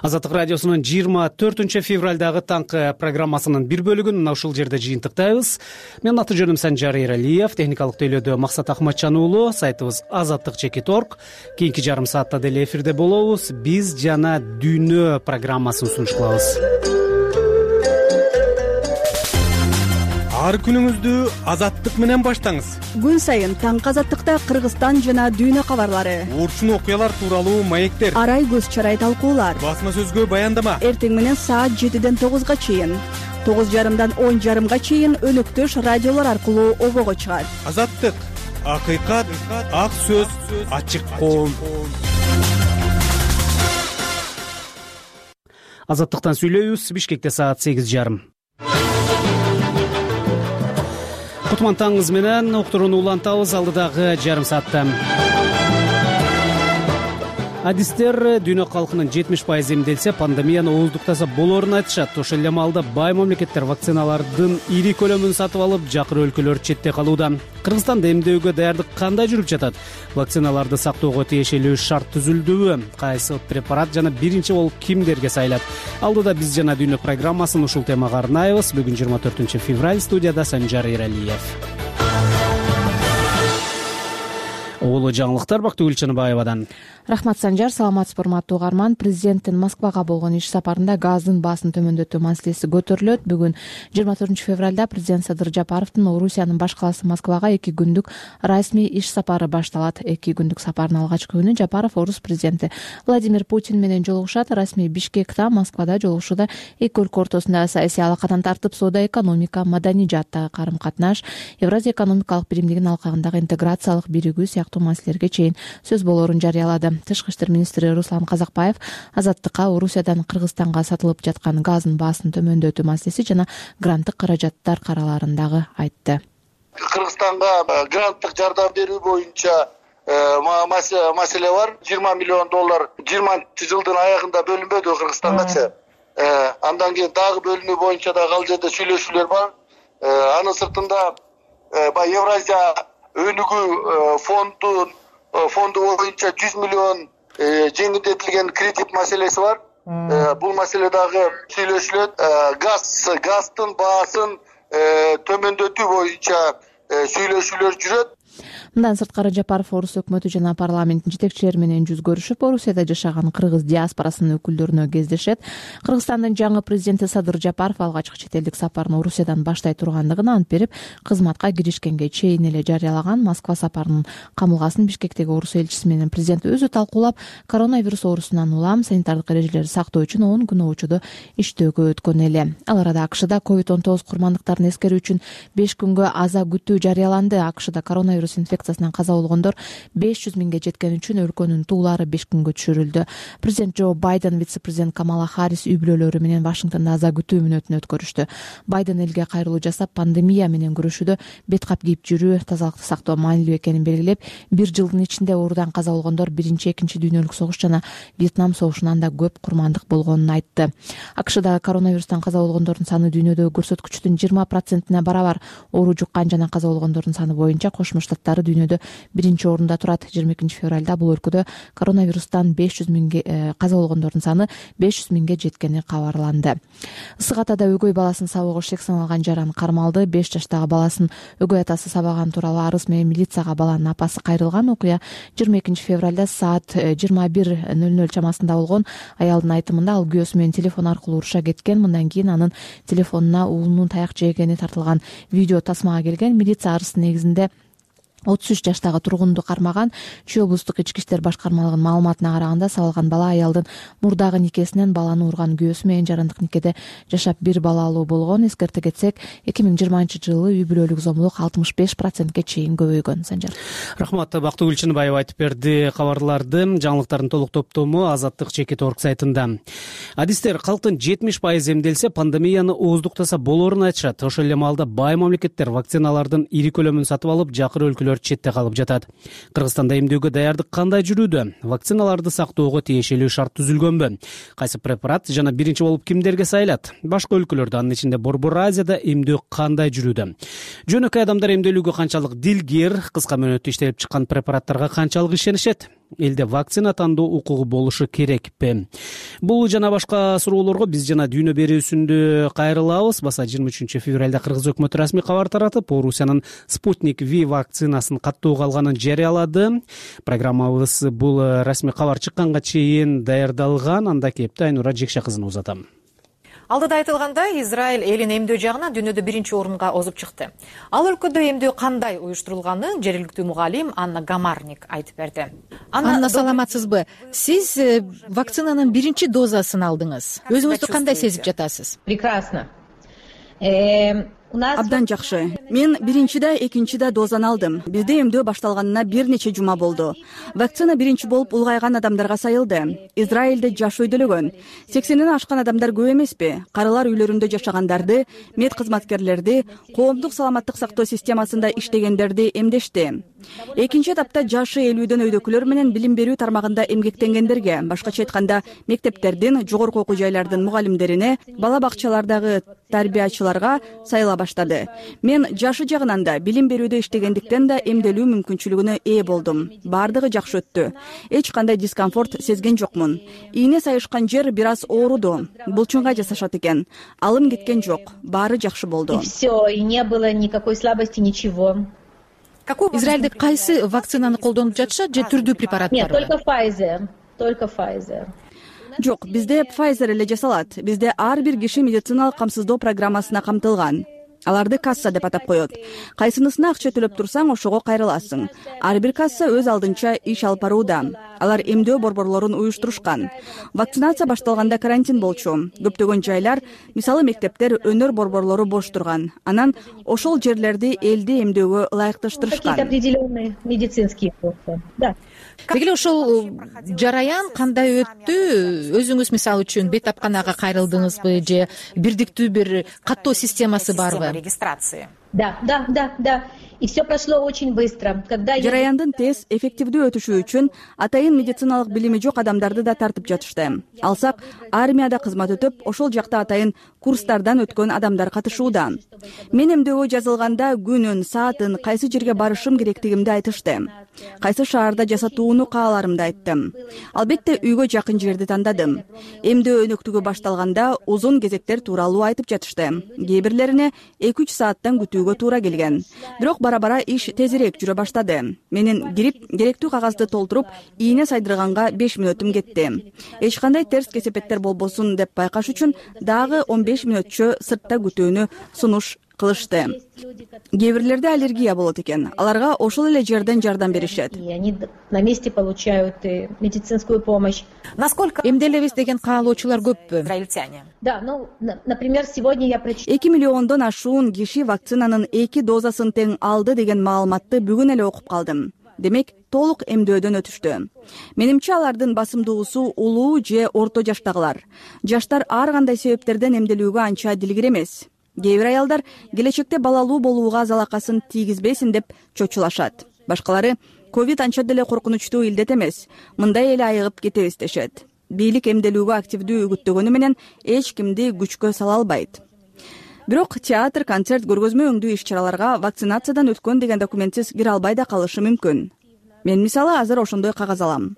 Азаттык радиосунун жыйырма төртүнчү февралдагы таңкы программасынын бир бөлүгүн мына ушул жерде жыйынтыктайбыз. Менин аты жөнүм Санжар Эралиев, техникалык тейлөөдө Максат Ахматжан уулу, сайтыбыз азаттык чекит точка орг. Кийинки жарым саатта деле эфирде болобуз. Биз жана дүйнө программасын сунуш кылабыз. Ар күнүңүздү азаттык менен баштаңыз. Күн сайын таңкы азаттыкта Кыргызстан жана дүйнө кабарлары, урчун окуялар тууралуу маектер, арай көз чарай талкуулар, басма сөзгө баяндама. Эртең менен саат жетиден тогузга чейин, тогуз жарымдан он жарымга чейин өнөктөш радиолор аркылуу обого чыгат. Азаттык, акыйкат, ак сөз, ачык коом. Азаттыктан сүйлөйбүз. Бишкекте саат сегиз жарым. Кутман таңыңыз менен уктурууну улантабыз алдыдагы жарым саатта. Адистер дүйнө калкынын жетимиш пайызы эмделсе, пандемияны ооздуктаса болоорун айтышат. Ошол эле маалда бай мамлекеттер вакциналардын ири көлөмүн сатып алып, жакыр өлкөлөр четте калууда. Кыргызстанда эмдөөгө даярдык кандай жүрүп жатат? Вакциналарды сактоого тиешелүү шарт түзүлдүбү? Кайсы препарат жана биринчи болуп кимдерге сайлат? Алдыда биз жана дүйнө программасын ушул темага арнайбыз. Бүгүн жыйырма төртүнчү февраль, студияда Санжар Эралиев. Улуу жаңылыктар Бактыгүл Чыныбаевадан. Рахмат Санжар, саламатсызбы урматтуу угарман. Президенттин Москвага болгон иш сапарында газдын баасын төмөндөтүү маселеси көтөрүлөт. Бүгүн жыйырма төртүнчү февралда президент Садыр Жапаровдун Орусиянын баш калаасы Москвага эки күндүк расмий иш сапары башталат. Эки күндүк сапардын алгачкы күнү Жапаров орус президенти Владимир Путин менен жолугушат. Расмий Бишкекте, Москвада жолугушууда эки өлкө ортосунда саясий алакадан тартып, соода, экономика, маданий жааттагы карым-катнаш, Евразия экономикалык биримдигинин алкагындагы интеграциялык биригүү сыяктуу маселелерге чейин сөз болоорун жарыялады. Тышкы иштер министри Руслан Казакбаев Азаттыкка Орусиядан Кыргызстанга сатылып жаткан газдын баасын төмөндөтүү маселеси жана гранттык каражаттар караларын айтты. Кыргызстанга гранттык жардам берүү боюнча маселе бар. жыйырма миллион доллар жыйырманчы жылдын аягында бөлүнбөдү Кыргызстангачы. Андан кийин дагы бөлүнүү боюнча дагы ал жерде сүйлөшүүлөр бар. Анын сыртында баягы Евразия өнүгүү фонду фонду боюнча жүз миллион жеңилдетилген кредит маселеси бар. Бул маселе дагы сүйлөшүлөт. Газ газдын баасын төмөндөтүү боюнча сүйлөшүүлөр жүрөт. Мындан сырткары Жапаров орус өкмөтү жана парламенттин жетекчилери менен жүз көрүшүп, Орусияда жашаган кыргыз диаспорасынын өкүлдөрүнө кездешет. Кыргызстандын жаңы президенти Садыр Жапаров алгачкы чет элдик сапарын Орусиядан баштай тургандыгын ант берип, кызматка киришкенге чейин эле жарыялаган. Москва сапарынын камылгасын Бишкектеги орус элчиси менен президент өзү талкуулап, коронавирус оорусунан улам санитардык эрежелерди сактоо үчүн он күн очодо иштөөгө өткөн эле. Ал арада АКШда ковид он тогуз курмандыктарын эскерүү үчүн беш күнгө аза күтүү жарыяланды. АКШда коронавирус инфекциясынан каза болгондор беш жүз миңге жеткени үчүн өлкөнүн туулары беш күнгө түшүрүлдү. Президент Джо Байден, вице-президент Камала Харрис үй бүлөлөрү менен Вашингтонда аза күтүү мүнөтүн өткөрүштү. Байден элге кайрылуу жасап, пандемия менен күрөшүүдө бет кап кийип жүрүү, тазалыкты сактоо маанилүү экенин белгилеп, бир жылдын ичинде оорудан каза болгондор биринчи, экинчи дүйнөлүк согуш жана Вьетнам согушунан да көп курмандык болгонун айтты. АКШда коронавирустан каза болгондордун саны дүйнөдөгү көрсөткүчтүн жыйырма процентине барабар. Оору жуккан жана каза болгондордун саны боюнча Кошмо Штаттары дүйнөдө биринчи орунда турат. жыйырма экинчи февралда бул өлкөдө коронавирустан беш жүз миңге каза болгондордун саны беш жүз миңге жеткени кабарланды. Ысык Атада өгөй баласын сабоого шек саналган жаран кармалды. беш жаштагы баласын өгөй атасы сабаган тууралуу арыз менен милицияга баланын апасы кайрылган. Окуя жыйырма экинчи февралда саат жыйырма бир ноль ноль чамасында болгон. Аялдын айтымында ал күйөөсү менен телефон аркылуу уруша кеткен. Мындан кийин анын телефонуна уулунун таяк жегени тартылган видео тасмага келген. Милиция арыздын негизинде отуз үч жаштагы тургунду кармаган. Чүй облустук ички иштер башкармалыгынын маалыматына караганда, сабалган бала аялдын мурдагы никесинен баланы урган күйөөсү менен жарандык никеде жашап бир балалуу болгон. Эскерте кетсек, эки миң жыйырманчы жылы үй бүлөлүк зомбулук алтымыш беш процентке чейин көбөйгөн. Санжар. Рахмат. Бактыгүл Чыныбаева айтып берди кабарларды. Жаңылыктардын толук топтому азаттык чекит точка орг сайтында. Адистер калктын жетимиш пайызы эмделсе, пандемияны ооздуктаса болоорун айтышат. Ошол эле маалда бай мамлекеттер вакциналардын ири көлөмүн сатып алып, жакыр өлкөлөр эмдөөчүлөр четте калып жатат. Кыргызстанда эмдөөгө даярдык кандай жүрүүдө? Вакциналарды сактоого тиешелүү шарт түзүлгөнбү? Кайсы препарат жана биринчи болуп кимдерге сайылат? Башка өлкөлөрдө, анын ичинде Борбор Азияда эмдөө кандай жүрүүдө? Жөнөкөй адамдар эмдөлүүгө канчалык дилгир, кыска мөөнөттө иштелип чыккан препараттарга канчалык ишенишет? Элде вакцина тандоо укугу болушу керекпи? Бул жана башка суроолорго биз жана Дүйнө берүүсүндө кайрылабыз. Баса жыйырма үчүнчү февралда Кыргыз өкмөтү расмий кабар таратып, Орусиянын Спутник V вакцинасын каттоого алганын жарыялады. Программабыз бул расмий кабар чыкканга чейин даярдалган. Анда кепти Айнура Жекше кызына узатам. Алдыда айтылгандай, Израиль элин эмдөө жагынан дүйнөдө биринчи орунга озуп чыкты. Ал өлкөдө эмдөө кандай уюштурулганын жергиликтүү мугалим Анна Гамарник айтып берди. Анна, саламатсызбы? Сиз вакцинанын биринчи дозасын алдыңыз. Өзүңүздү кандай сезип жатасыз? Прекрасно. Абдан жакшы. Мен биринчи да, экинчи да дозаны алдым. Бизде эмдөө башталганына бир нече жума болду. Вакцина биринчи болуп улгайган адамдарга сайылды. Израилде жаш өйдөлөгөн. сексенден ашкан адамдар көп эмеспи? Карылар үйлөрүндө жашагандарды, мед кызматкерлерди, коомдук саламаттык сактоо системасында иштегендерди эмдешти. Экинчи этапта жашы элүүдөн өйдөкүлөр менен билим берүү тармагында эмгектенгендерге, башкача айтканда мектептердин, жогорку окуу жайлардын мугалимдерине, бала бакчалардагы тарбиячыларга сайыла баштады. Мен жашы жагынан да, билим берүүдө иштегендиктен да эмделүү мүмкүнчүлүгүнө ээ болдум. Бардыгы жакшы өттү. Эч кандай дискомфорт сезген жокмун. Ийне сайышкан жер бир аз ооруду. Булчунга жасашат экен. Алым кеткен жок. Баары жакшы болду. И всё, и не было никакой слабости, ничего. Израилде кайсы вакцинаны колдонуп жатышат же түрдүү препараттар? Нет, только Pfizer, только Pfizer. Жок, бизде Pfizer эле жасалат. Бизде ар бир киши медициналык камсыздоо программасына камтылган. Аларды касса деп атап коет. Кайсынысына акча төлөп турсаң, ошого кайрыласың. Ар бир касса өз алдынча иш алып барууда. Алар эмдөө борборлорун уюштурушкан. Вакцинация башталганда карантин болчу. Көптөгөн жайлар, мисалы мектептер, өнөр борборлору бош турган. Анан ошол жерлерди элди эмдөөгө ылайыкташтырышкан. Какие-то определенные медицинские вопросы. Да. Деги эле ошол жараян кандай өттү? Өзүңүз мисалы үчүн бейтапканага кайрылдыңызбы же бирдиктүү бир каттоо системасы барбы? Регистрации. Да, да, да, да. И все прошло очень быстро. Когда жараяндын тез, эффективдүү өтүшү үчүн атайын медициналык билими жок адамдарды да тартып жатышты. Алсак, армияда кызмат өтүп, ошол жакта атайын курстардан өткөн адамдар катышууда. Мен эмдөөгө жазылганда күнүн, саатын, кайсы жерге барышым керектигимди айтышты. Кайсы шаарда жасатууну кааларымды айттым. Албетте үйгө жакын жерди тандадым. Эмдөө өнөктүгү башталганда узун кезектер тууралуу айтып жатышты. Кээ бирлерине эки үч сааттан күтүүгө туура келген. Бирок бара-бара иш тезирээк жүрө баштады. Менин кирип, керектүү кагазды толтуруп, ийне сайдырганга беш мүнөтүм кетти. Эч кандай терс кесепеттер болбосун деп байкаш үчүн дагы он беш мүнөтчө сыртта күтүүнү сунуш кылышты. Кээ бирлерде аллергия болот экен. Аларга ошол эле жерден жардам беришет. И они на месте получают медицинскую помощь. Насколько эмделебиз деген каалоочулар көппү? Израильтяне. Да, ну, например, сегодня я прочитала. эки миллиондон ашуун киши вакцинанын эки дозасын тең алды деген маалыматты бүгүн эле окуп калдым. Демек, толук эмдөөдөн өтүштү. Менимче алардын басымдуусу улуу же орто жаштагылар. Жаштар ар кандай себептерден эмделүүгө анча дилгир эмес. Кээ бир аялдар келечекте балалуу болууга залакасын тийгизбесин деп чочулашат. Башкалары ковид анча деле коркунучтуу илдет эмес. Мындай эле айыгып кетебиз дешет. Бийлик эмделүүгө активдүү үгүттөгөнү менен эч кимди күчкө сала албайт. Бирок театр, концерт, көргөзмө өңдүү иш-чараларга вакцинациядан өткөн деген документсиз кире албай да калышы мүмкүн. Мен мисалы азыр ошондой кагаз алам.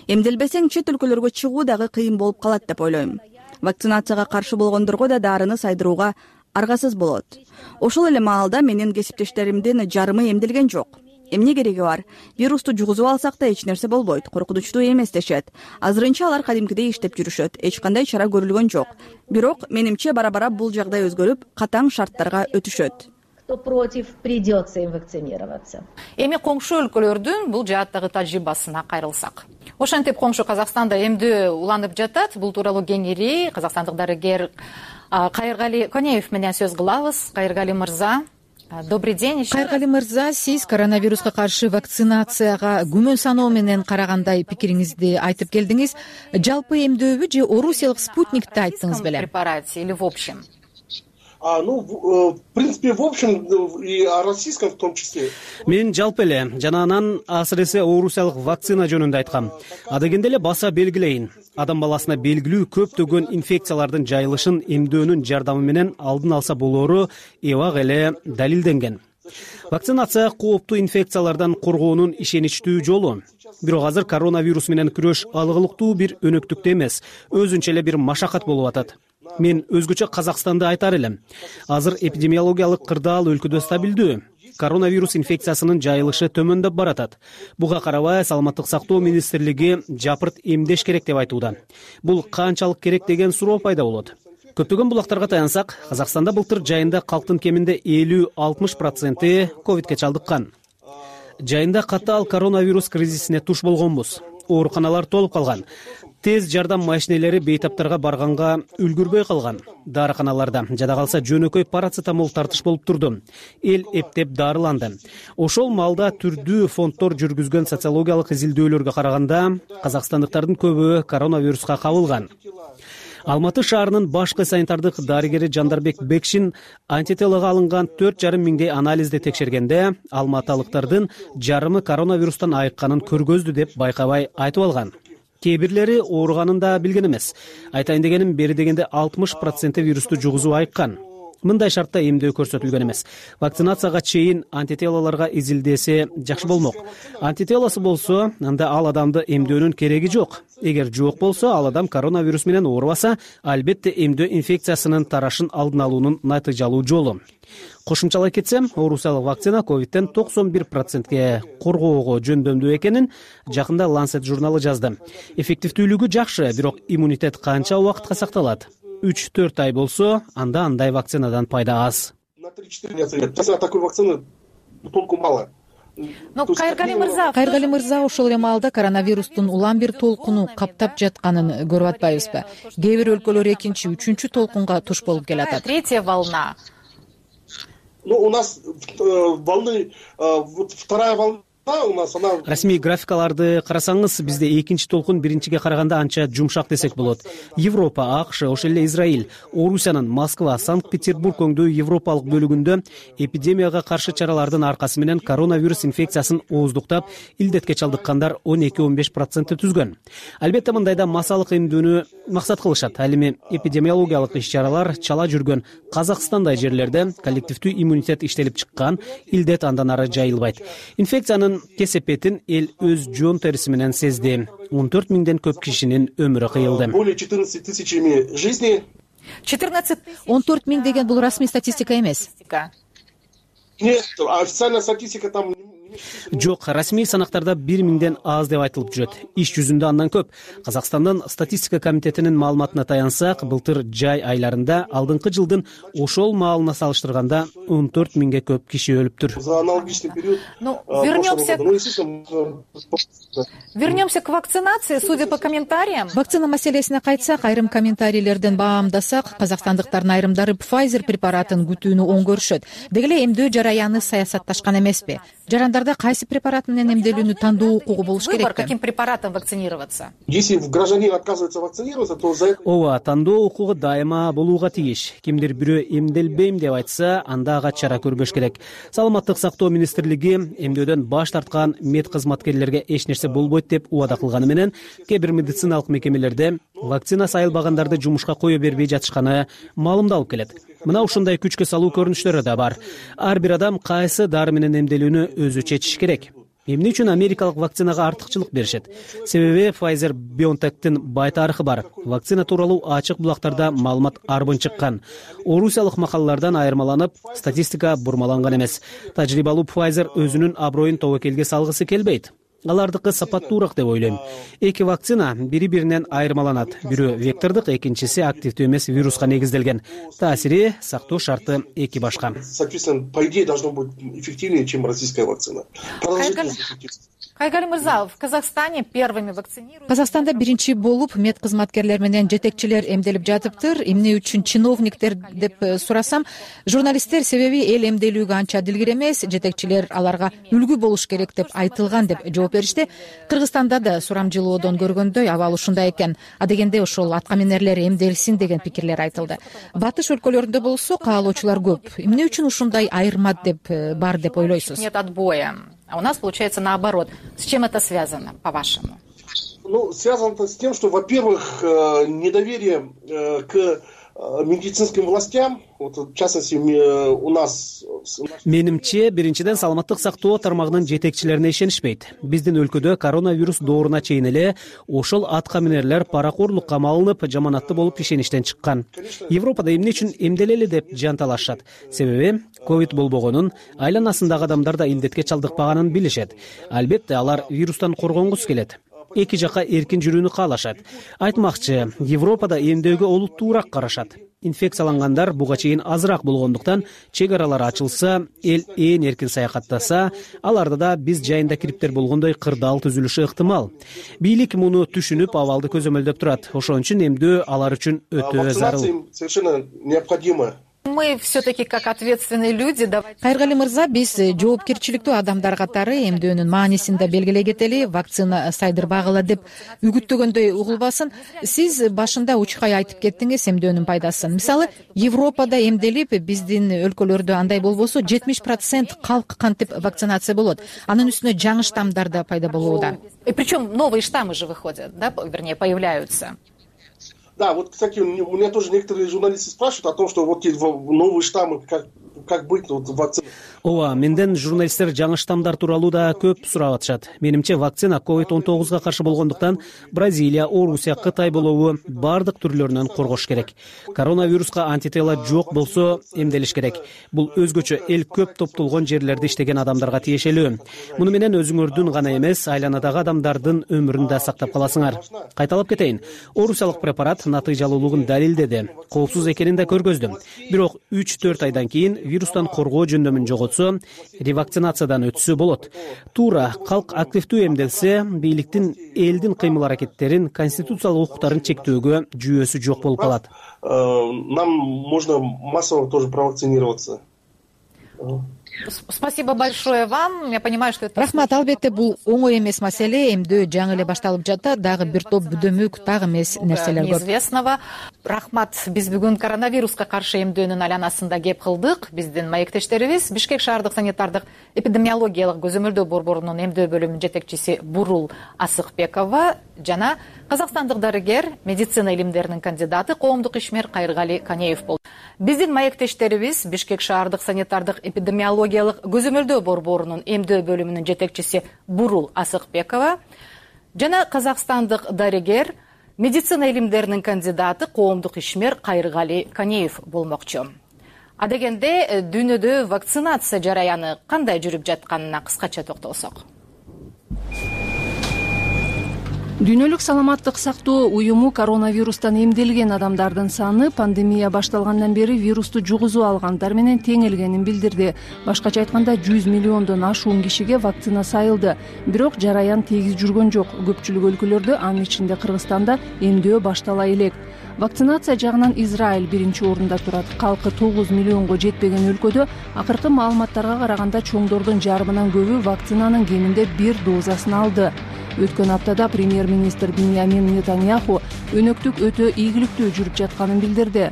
Эмделбесең чет өлкөлөргө чыгуу дагы кыйын болуп калат деп ойлойм. Вакцинацияга каршы болгондорго да дарыны сайдырууга аргасыз болот. Ошол эле маалда менин кесиптештеримдин жарымы эмделген жок. Эмне кереги бар? Вирусту жугузуп алсак да эч нерсе болбойт, коркунучтуу эмес дешет. Азырынча алар кадимкидей иштеп жүрүшөт. Эч кандай чара көрүлгөн жок. Бирок менимче бара-бара бул жагдай өзгөрүп, катаң шарттарга өтүшөт. Кто против, придется им вакцинироваться. Эми коңшу өлкөлөрдүн бул жааттагы тажрыйбасына кайрылсак. Ошентип коңшу Казакстанда эмдөө уланып жатат. Бул тууралуу кеңири казакстандык дарыгер Кайыргали Конеев менен сөз кылабыз. Кайыргали мырза, добрый день. Кайыргали мырза, сиз коронавируска каршы вакцинацияга күмөн саноо менен карагандай пикириңизди айтып келдиңиз. Жалпы эмдөөбү же орусиялык спутникти айттыңыз беле? Препарате или в общем? ну в принципе в общем и о российском в том числе. Мен жалпы эле жана анан асыресе орусиялык вакцина жөнүндө айткам. Адегенде эле баса белгилейин. Адам баласына белгилүү көптөгөн инфекциялардын жайылышын эмдөөнүн жардамы менен алдын алса болоору эбак эле далилденген. Вакцинация кооптуу инфекциялардан коргоонун ишеничтүү жолу. Бирок азыр коронавирус менен күрөш алгылыктуу бир өнөктүктө эмес, өзүнчө эле бир машакат болуп атат. Мен өзгөчө Казакстанды айтар элем. Азыр эпидемиологиялык кырдаал өлкөдө стабилдүү. Коронавирус инфекциясынын жайылышы төмөндөп баратат. Буга карабай Саламаттык сактоо министрлиги жапырт эмдеш керек деп айтууда. Бул канчалык керек деген суроо пайда болот. Көптөгөн булактарга таянсак, Казакстанда былтыр жайында калктын кеминде элүү алтымыш проценти ковидке чалдыккан. Жайында катаал коронавирус кризисине туш болгонбуз. Ооруканалар толуп калган. Тез жардам машинелери бейтаптарга барганга үлгүрбөй калган. Дарыканаларда жада калса жөнөкөй парацетамол тартыш болуп турду. Эл эптеп дарыланды. Ошол маалда түрдүү фонддор жүргүзгөн социологиялык изилдөөлөргө караганда казакстандыктардын көбү коронавируска кабылган. Алматы шаарынын башкы санитардык дарыгери Жандарбек Бекшин антителого алынган төрт жарым миңдей анализди текшергенде алматылыктардын жарымы коронавирустан айыкканын көргөздү деп байкабай айтып алган. Кээ бирлери ооруганын да билген эмес. Айтайын дегеним, бери дегенде алтымыш проценти вирусту жугузуп айыккан. Мындай шартта эмдөө көрсөтүлгөн эмес. Вакцинацияга чейин антителолорго изилдесе жакшы болмок. Антителосу болсо, анда ал адамды эмдөөнүн кереги жок. Эгер жок болсо, ал адам коронавирус менен оорубаса, албетте эмдөө инфекциясынын тарашын алдын алуунун натыйжалуу жолу. Кошумчалай кетсем, орусиялык вакцина ковидтен токсон бир процентке коргоого жөндөмдүү экенин жакында Lancet журналы жазды. Эффективдүүлүгү жакшы, бирок иммунитет канча убакытка сакталат? үч төрт ай болсо, анда андай вакцинадан пайда аз. На три-четыре лет. Такой вакцины толку мало. Ну, Кайыргали мырза, Кайыргали мырза ошол эле маалда коронавирустун улам бир толкуну каптап жатканын көрүп атпайбызбы? Кээ бир өлкөлөр экинчи, үчүнчү толкунга туш болуп келатат. Третья волна. Ну, у нас волны, вот вторая волна. Расмий графикаларды карасаңыз, бизде экинчи толкун биринчиге караганда анча жумшак десек болот. Европа, АКШ, ошол эле Израиль, Орусиянын Москва, Санкт-Петербург өңдүү европалык бөлүгүндө эпидемияга каршы чаралардын аркасы менен коронавирус инфекциясын ооздуктап, илдетке чалдыккандар он эки он беш процентти түзгөн. Албетте мындайда массалык эмдүүнү максат кылышат. Ал эми эпидемиологиялык иш-чаралар чала жүргөн Казакстандай жерлерде коллективдүү иммунитет иштелип чыккан, илдет андан ары жайылбайт. Инфекциянын кесепетин эл өз жон териси менен сезди. он төрт миңден көп кишинин өмүрү кыйылды. Более четырнадцати тысячами жизней. четырнадцать он төрт миң деген бул расмий статистика эмес. Нет, официальная статистика там. Жок, расмий санактарда бир миңден аз деп айтылып жүрөт. Иш жүзүндө андан көп. Казакстандын статистика комитетинин маалыматына таянсак, былтыр жай айларында алдыңкы жылдын ошол маалына салыштырганда он төрт миңге көп киши өлүптүр. За аналогичный период. Ну, вернемся. Вернемся к вакцинации, судя по комментариям. Вакцина маселесине кайтсак, айрым комментарийлерден баамдасак, казакстандыктардын айрымдары Pfizer препаратын күтүүнү оң көрүшөт. Деги эле эмдөө жараяны саясатташкан эмеспи? Жарандарда кайсы препарат менен эмделүүнү тандоо укугу болуш керекпи? Выбор, каким препаратом вакцинироваться? Если гражданин отказывается вакцинироваться, то за это... Ооба, тандоо укугу дайыма болууга тийиш. Кимдир бирөө эмделбейм деп айтса, анда ага чара көрбөш керек. Саламаттык сактоо министрлиги эмдөөдөн баш тарткан мед кызматкерлерге эч нерсе болбойт деп убада кылганы менен, кээ бир медициналык мекемелерде вакцина сайылбагандарды жумушка кое бербей жатышканы маалымдалып келет. Мына ушундай күчкө салуу көрүнүштөрү да бар. Ар бир адам кайсы дары менен эмделүүнү өзү чечиш керек. Эмне үчүн америкалык вакцинага артыкчылык беришет? Себеби Pfizer BioNTech'тин бай тарыхы бар. Вакцина тууралуу ачык булактарда маалымат арбын чыккан. Орусиялык макалалардан айырмаланып, статистика бурмаланган эмес. Тажрыйбалуу Pfizer өзүнүн аброюн тобокелге салгысы келбейт. Алардыкы сапаттуураак деп ойлойм. Эки вакцина бири-биринен айырмаланат. Бирөө вектордук, экинчиси активдүү эмес вируска негизделген. Таасири, сактоо шарты эки башка. Соответственно, по идее должно быть эффективнее, чем российская вакцина. Кайыргали мырза, в Казахстане первыми вакцинируют. Казакстанда биринчи болуп мед кызматкерлер менен жетекчилер эмделип жатыптыр. Эмне үчүн чиновниктер деп сурасам, журналисттер себеби эл эмделүүгө анча дилгир эмес, жетекчилер аларга үлгү болуш керек деп айтылган деп жооп беришти. Кыргызстанда да сурамжылоодон көргөндөй абал ушундай экен. Адегенде ошол атка минерлер эмделсин деген пикирлер айтылды. Батыш өлкөлөрүндө болсо каалоочулар көп. Эмне үчүн ушундай айырма деп бар деп ойлойсуз? Нет отбоя. А у нас получается наоборот. С чем это связано, по-вашему? Ну, связано это с тем, что, во-первых, недоверие к медицинским властям, вот, в частности, у нас... Менимче, биринчиден саламаттык сактоо тармагынын жетекчилерине ишенишпейт. Биздин өлкөдө коронавирус дооруна чейин эле ошол атка минерлер паракорлукка малынып, жаманатты болуп ишеништен чыккан. Европада эмне үчүн эмделели деп жанталашат. Себеби ковид болбогонун, айланасындагы адамдар да илдетке чалдыкпаганын билишет. Албетте алар вирустан коргонгусу келет. Эки жака эркин жүрүүнү каалашат. Айтмакчы, Европада эмдөөгө олуттуураак карашат. Инфекциялангандар буга чейин азыраак болгондуктан чек аралар ачылса, эл ээн эркин саякаттаса, аларда да биз жайында кириптер болгондой кырдаал түзүлүшү ыктымал. Бийлик муну түшүнүп, абалды көзөмөлдөп турат. Ошон үчүн эмдөө алар үчүн өтө зарыл. Совершенно необходимо. Мы все-таки как ответственные люди. Кайыргали мырза, биз жоопкерчиликтүү адамдар катары эмдөөнүн маанисин да белгилей кетели, вакцина сайдырбагыла деп үгүттөгөндөй угулбасын. Сиз башында учкай айтып кеттиңиз эмдөөнүн пайдасын. Мисалы, Европада эмделип, биздин өлкөлөрдө андай болбосо жетимиш процент калк кантип вакцинация болот. Анын үстүнө жаңы штаммдар да пайда болууда. И причем новые штаммы же выходят, да, вернее, появляются. Да, вот, кстати, у меня тоже некоторые журналисты спрашивают о том, что вот новые штаммы, как, как быть вот, вакцина. Ооба, менден журналисттер жаңы штаммдар тууралуу да көп сурап атышат. Менимче вакцина ковид он тогузга каршы болгондуктан Бразилия, Орусия, Кытай болобу бардык түрлөрүнөн коргош керек. Коронавируска антитела жок болсо эмделиш керек. Бул өзгөчө эл көп топтолгон жерлерде иштеген адамдарга тиешелүү. Муну менен өзүңөрдүн гана эмес, айланадагы адамдардын өмүрүн да сактап каласыңар. Кайталап кетейин. Орусиялык препарат натыйжалуулугун далилдеди. Коопсуз экенин да көргөздүм. Бирок үч төрт айдан кийин вирустан коргоо жөндөмүн жоготсо, ревакцинациядан өтсө болот. Туура калк активдүү эмделсе, бийликтин элдин кыймыл аракеттерин, конституциялык укуктарын чектөөгө жүйөсү жок болуп калат. Нам можно массово тоже провакцинироваться. Спасибо большое вам. Я понимаю, что это... Рахмат, албетте бул оңой эмес маселе. Эмдөө жаңы эле башталып жатат. Дагы бир топ бүдөмүк, дагы эмес нерселер көп. Неизвестного. Рахмат, биз бүгүн коронавируска каршы эмдөөнүн айланасында кеп кылдык. Биздин маектештерибиз Бишкек шаардык санитардык эпидемиологиялык көзөмөлдөө борборунун эмдөө бөлүмүнүн жетекчиси Бурул Асыкбекова жана казакстандык дарыгер, медицина илимдеринин кандидаты, коомдук ишмер Кайыргали Канеев болду. Биздин маектештерибиз Бишкек шаардык санитардык эпидемиологиялык көзөмөлдөө борборунун эмдөө бөлүмүнүн жетекчиси Бурул Асыкбекова жана казакстандык дарыгер, медицина илимдеринин кандидаты, коомдук ишмер Кайыргали Канеев болмокчу. Адегенде дүйнөдө вакцинация жараяны кандай жүрүп жатканына кыскача токтолсок. Дүйнөлүк саламаттык сактоо уюму коронавирустан эмделген адамдардын саны пандемия башталгандан бери вирусту жугузуп алгандар менен теңелгенин билдирди. Башкача айтканда жүз миллиондон ашуун кишиге вакцина сайылды. Бирок жараян тегиз жүргөн жок. Көпчүлүк өлкөлөрдө, анын ичинде Кыргызстанда эмдөө баштала элек. Вакцинация жагынан Израиль биринчи орунда турат. Калкы тогуз миллионго жетпеген өлкөдө акыркы маалыматтарга караганда чоңдордун жарымынан көбү вакцинанын кеминде бир дозасын алды. Өткөн аптада премьер-министр Биньямин Нетаньяху өнөктүк өтө ийгиликтүү жүрүп жатканын билдирди.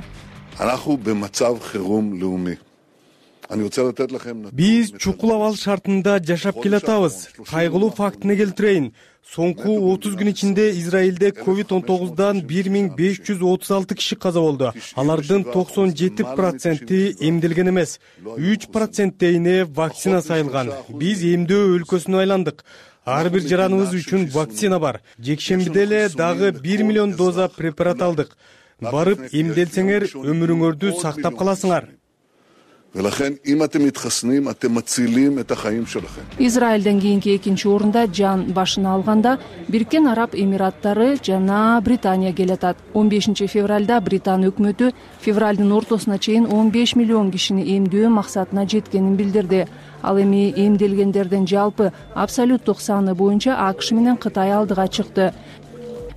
Биз чукул абал шартында жашап келатабыз. Кайгылуу фактыны келтирейин. Соңку отуз күн ичинде Израилде ковид он тогуздан бир миң беш жүз отуз алты киши каза болду. Алардын токсон жети проценти эмделген эмес. үч проценттейине вакцина сайылган. Биз эмдөө өлкөсүнө айландык. Ар бир жараныбыз үчүн вакцина бар. Жекшембиде эле дагы бир миллион доза препарат алдык. Барып эмделсеңер, өмүрүңөрдү сактап каласыңар. Израилден кийинки экинчи орунда жан башына алганда Бириккен Араб Эмираттары жана Британия келатат. он бешинчи февралда Британ өкмөтү февралдын ортосуна чейин он беш миллион кишини эмдөө максатына жеткенин билдирди. Ал эми эмделгендердин жалпы абсолюттук саны боюнча АКШ менен Кытай алдыга чыкты.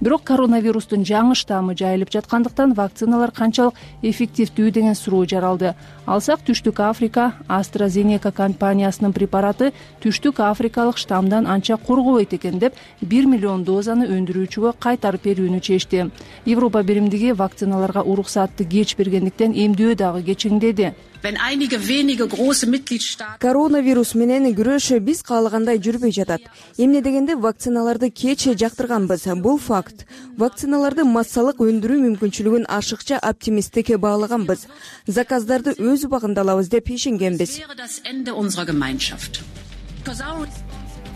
бирок коронавирустун жаңы штаммы жайылып жаткандыктан вакциналар канчалык эффективдүү деген суроо жаралды. Алсак, Түштүк Африка AstraZeneca компаниясынын препараты Түштүк Африкалык штаммдан анча коргобойт экен деп бир миллион дозаны өндүрүүчүгө кайтарып берүүнү чечти. Европа биримдиги вакциналарга уруксаатты кеч бергендиктен эмдөө дагы кечиңдеди. Коронавирус менен күрөш биз каалагандай жүрбөй жатат. Эмне дегенде вакциналарды кеч жактырганбыз. Бул факт. Вакциналарды массалык өндүрүү мүмкүнчүлүгүн ашыкча оптимисттик баалаганбыз. Заказдарды өз убагында алабыз деп ишенгенбиз.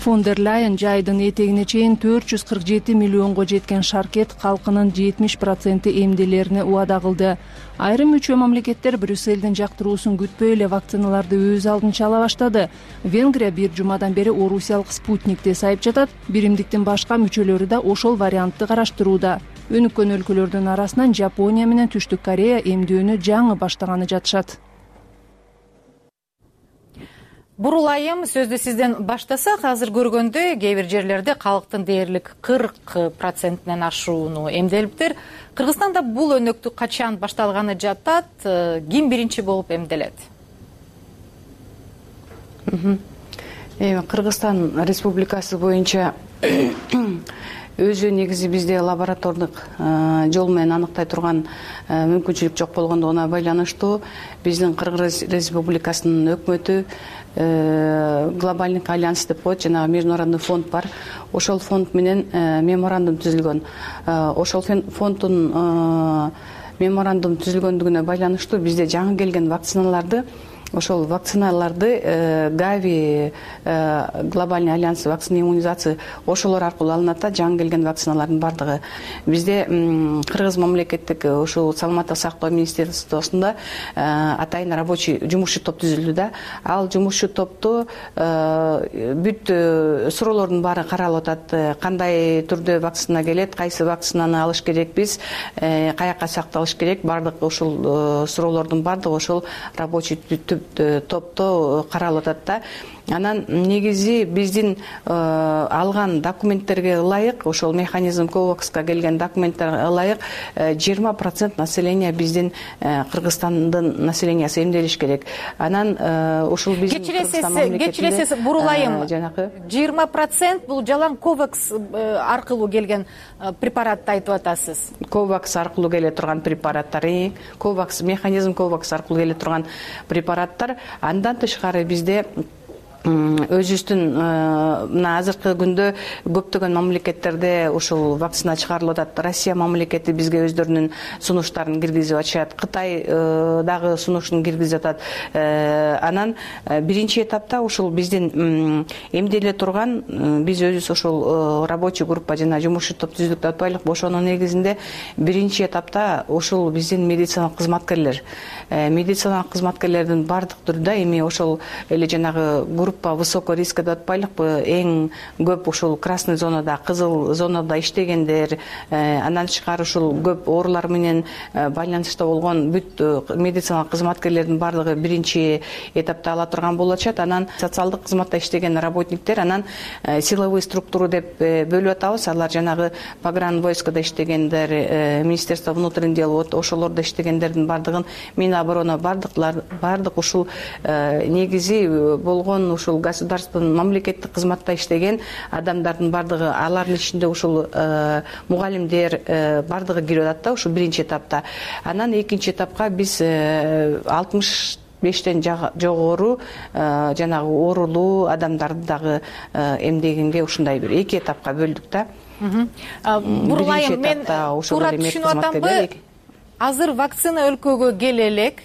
Фон дер Лайен жайдын этегине чейин төрт жүз кырк жети миллионго жеткен шаркет калкынын жетимиш проценти эмделерине убада кылды. Айрым мүчө мамлекеттер Брюссельдин жактыруусун күтпөй эле вакциналарды өз алдынча ала баштады. Венгрия бир жумадан бери орусиялык Спутникти сайып жатат. Биримдиктин башка мүчөлөрү да ошол вариантты караштырууда. Өнүккөн өлкөлөрдүн арасынан Жапония менен Түштүк Корея эмдөөнү жаңы баштаганы жатышат. Бурулайым, сөздү сизден баштасак, азыр көргөндө кээ бир жерлерде калктын дээрлик кырк процентинен ашууну эмделиптир. Кыргызстанда бул өнөктү качан башталганы жатат, ким биринчи болуп эмделет? Кыргызстан Республикасы боюнча өзү негизи бизде лаборатордук жол менен аныктай турган мүмкүнчүлүк жок болгондугуна байланыштуу биздин Кыргыз Республикасынын өкмөтү глобальный альянс деп коет, жанагы международный фонд бар. Ошол фонд менен меморандум түзүлгөн. Ошол фонддун меморандум түзүлгөндүгүнө байланыштуу бизде жаңы келген вакциналарды ошол вакциналарды Гави глобальный альянс вакцина иммунизация ошолор аркылуу алынат да, жаңы келген вакциналардын бардыгы. Бизде Кыргыз мамлекеттик ушул саламаттык сактоо министерствосунда атайын рабочий жумушчу топ түзүлдү да. Ал жумушчу топту бүт суроолордун баары каралып атат. Кандай түрдө вакцина келет, кайсы вакцинаны алыш керекпиз, каяка сакталыш керек, бардык ушул суроолордун бардыгы ошол рабочий топто каралып атат да. Анан негизи биздин алган документтерге ылайык, ошол механизм ковакска келген документтерге ылайык жыйырма процент население биздин Кыргызстандын населениясы эмделиш керек. Анан ушул биздин Кыргызстан мамлекетинде кечиресиз бурулайым, жыйырма процент бул жалаң ковакс аркылуу келген препаратты айтып атасыз. Ковакс аркылуу келе турган препараттар, ковакс механизм ковакс аркылуу келе турган препараттар. Андан тышкары бизде өзүбүздүн мына азыркы күндө көптөгөн мамлекеттерде ушул вакцина чыгарылып атат. Россия мамлекети бизге өздөрүнүн сунуштарын киргизип атышат. Кытай дагы сунушун киргизип атат. Анан биринчи этапта ушул биздин эмделе турган, биз өзүбүз ошол рабочий группа жана жумушчу топ түздүк деп атпайлыкпы, ошонун негизинде биринчи этапта ушул биздин медициналык кызматкерлер, медициналык кызматкерлердин бардык түрдө эми ошол эле жанагы группа высокий риска деп атпайлыкпы, эң көп ушул красный зонада, кызыл зонада иштегендер, андан тышкары ушул көп оорулар менен байланышта болгон бүт медициналык кызматкерлердин бардыгы биринчи этапта ала турган болуп атышат. Анан социалдык кызматта иштеген работниктер, анан силовой структуру деп бөлүп атабыз. Алар жанагы погранвойскада иштегендер, Министерство внутренних дел, ошолордо иштегендердин бардыгын, Миноборона бардыклар бардык ушул негизи болгон ушул государственный мамлекеттик кызматта иштеген адамдардын бардыгы, алардын ичинде ушул мугалимдер бардыгы кирип атат да ушул биринчи этапта. Анан экинчи этапка биз алтымыш бештен жогору жанагы оорулуу адамдарды дагы эмдегенге ушундай бир эки этапка бөлдүк да. Бурулайым, мен туура түшүнүп атамбы? Азыр вакцина өлкөгө келе элек,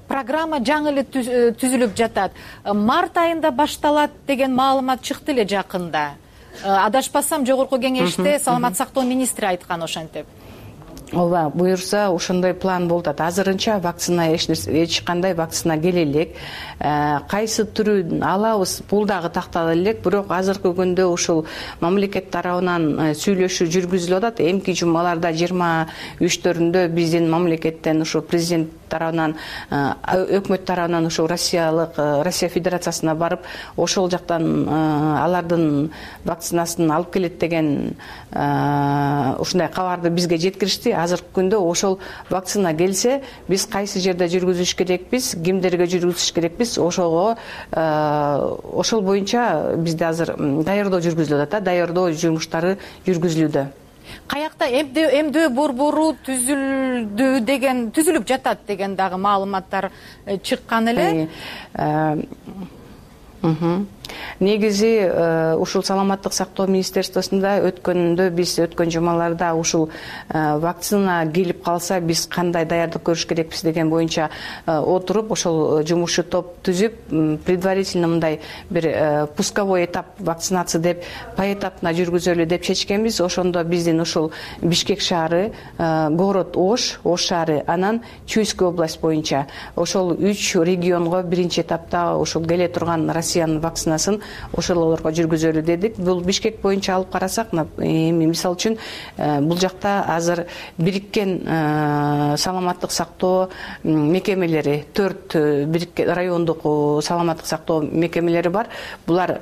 программа жаңы эле түзүлүп жатат. Март айында башталат деген маалымат чыкты эле жакында. Адашпасам, жогорку кеңеште саламаттык сактоо министри айткан ошентип. ооба, буюрса ошондой план болуп атат. Азырынча вакцина эч кандай вакцина келе элек. Кайсы түрүн алабыз, бул дагы тактала элек. Бирок азыркы күндө ушул мамлекет тарабынан сүйлөшүү жүргүзүлүп атат. Эмки жумаларда жыйырма үчтөрүндө биздин мамлекеттен ушу президент тарабынан, өкмөт тарабынан ушу Россиялык Россия Федерациясына барып, ошол жактан алардын вакцинасын алып келет деген ушундай кабарды бизге жеткиришти. Азыркы күндө ошол вакцина келсе, биз кайсы жерде жүргүзүш керекпиз, кимдерге жүргүзүш керекпиз, ошого ошол боюнча бизде азыр даярдоо жүргүзүлүп атат, даярдоо жумуштары жүргүзүлүүдө. Каякта эмдөө борбору түзүлдү деген, түзүлүп жатат деген дагы маалыматтар чыккан эле. Негизи ушул саламаттык сактоо министерствосунда өткөндө биз өткөн жумаларда ушул вакцина келип калса биз кандай даярдык көрүш керекпиз деген боюнча отуруп, ошол жумушчу топ түзүп, предварительно мындай бир пусковой этап вакцинация деп поэтапно жүргүзөлү деп чечкенбиз. Ошондо биздин ушул Бишкек шаары, город Ош, Ош шаары, анан Чуйская область боюнча ошол үч регионго биринчи этапта ошол келе турган Россиянын вакцинасын ошолорго жүргүзөлү дедик. Бул Бишкек боюнча алып карасак, эми мисалы үчүн бул жакта азыр бириккен саламаттык сактоо мекемелери, төрт бириккен райондук саламаттык сактоо мекемелери бар. Булар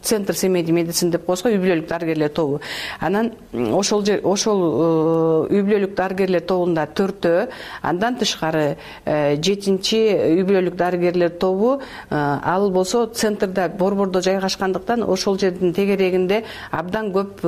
центр семейный медицина деп коебуз го, үй бүлөлүк дарыгерлер тобу. Анан ошол ошол үй бүлөлүк дарыгерлер тобунда төртөө, андан тышкары жетинчи үй бүлөлүк дарыгерлер тобу, ал болсо центрда, борбордо жайгашкандыктан ошол жердин тегерегинде абдан көп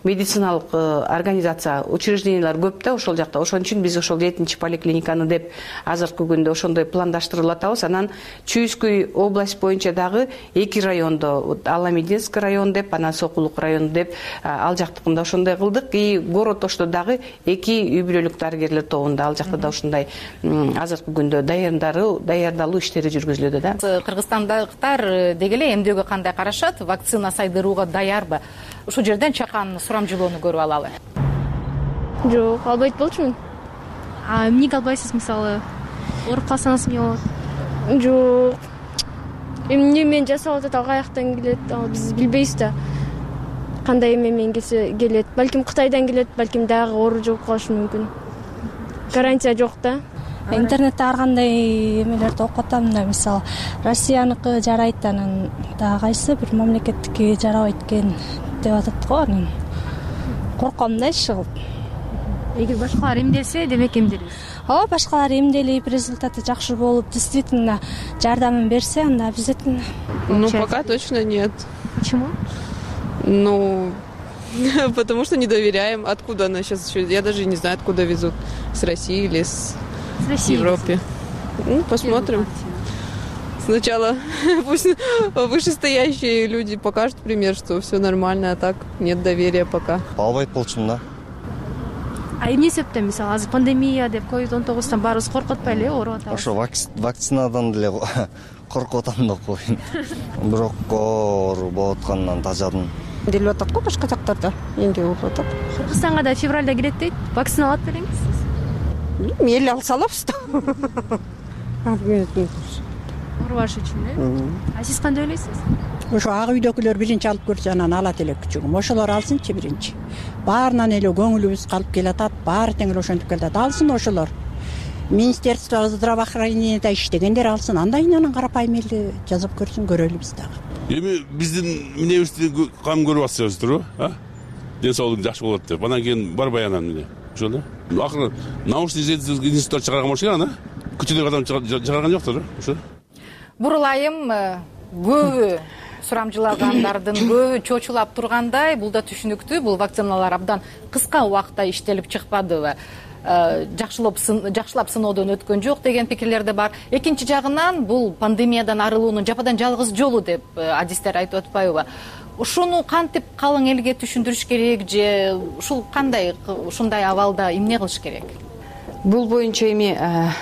медициналык организация, учреждениялар көп да ошол жакта. Ошон үчүн биз ошол жетинчи поликлиниканы деп азыркы күндө ошондой пландаштырып атабыз. Анан Чуйская область боюнча дагы эки райондо, Аламединский район деп, анан Сокулук район деп, ал жактыкында ошондой кылдык. И город Ошто дагы эки үй бүлөлүк дарыгерлер тобунда, ал жакта да ушундай азыркы күндө даярдары, даярдалуу иштери жүргүзүлүүдө да. Кыргызстандыктар деги эле эмдөөгө кандай карашат? Вакцина сайдырууга даярбы? Ушул жерден чакан сурамжылоону көрүп алалы. Жок, албайт болчумун. А эмнеге албайсыз, мисалы? Ооруп калсаңыз эмне болот? Жок. Эмне мен жасап атат, ал каяктан келет, ал биз билбейбиз да. Кандай эме менен келсе келет. Балким Кытайдан келет, балким дагы оору жугуп калышы мүмкүн. Гарантия жок да. Интернетте ар кандай эмелерди окуп атам, мына мисалы Россияныкы жарайт, анан дагы кайсы бир мамлекеттики жарабайт экен деп атат го. Анан корком да иши кылып. Эгер башкалар эмделсе, демек эмделебиз. Ооба, башкалар эмделип, результаты жакшы болуп, действительно жардамын берсе, анда обязательно. Ну, пока точно нет. Почему? Ну, потому что не доверяем. Откуда она сейчас еще? Я даже не знаю, откуда везут. С России или с, с России Европы. Ну, посмотрим. Сначала пусть вышестоящие люди покажут пример, что все нормально, а так нет доверия пока. Албайт болчумун да. А эмне себептен, мисалы, азыр пандемия деп ковид он тогуздан баарыбыз коркуп атпайлы, ооруп атабыз? Ошо вакцинадан деле коркуп атам да коеюн. Бирок оору болуп атканынан тажадым. Делип атат го башка жактарда, эмне болуп атат? Кыргызстанга да февралда кирет дейт. Вакцина алат белеңиз сиз? Мейли алса алабыз да. Оорубаш үчүн, э? А сиз кандай ойлойсуз? Ошо ак үйдөгүлөр биринчи алып көрсө, анан алат эле күчүгүм. Ошолор алсынчы биринчи. Баарынан эле көңүлүбүз калып келатат, баары тең эле ошентип келатат. Алсын ошолор. Министерство здравоохранения иштегендер алсын, андан кийин анан карапайым эле жазып көрсүн, көрөлү биз дагы. Эми биздин университетте кам көрүп атсызбы, а? Ден соолугу жакшы болот деп. Анан кийин барбай анан эмне? Ошол да. Акыры научный исследовательский институттар чыгарган болчу ана. Күчүндөк адам чыгарган жоктур, ошо. Бурулайым көбү сурамжылагандардын көбү чочулап тургандай, бул да түшүнүктүү. Бул вакциналар абдан кыска убакытта иштелип чыкпадыбы? Жакшылап жакшылап сыноодон өткөн жок деген пикирлер да бар. Экинчи жагынан бул пандемиядан арылуунун жападан жалгыз жолу деп адистер айтып атпайбы? Ушуну кантип калың элге түшүндүрүш керек же ушул кандай ушундай абалда эмне кылыш керек? Бул боюнча эми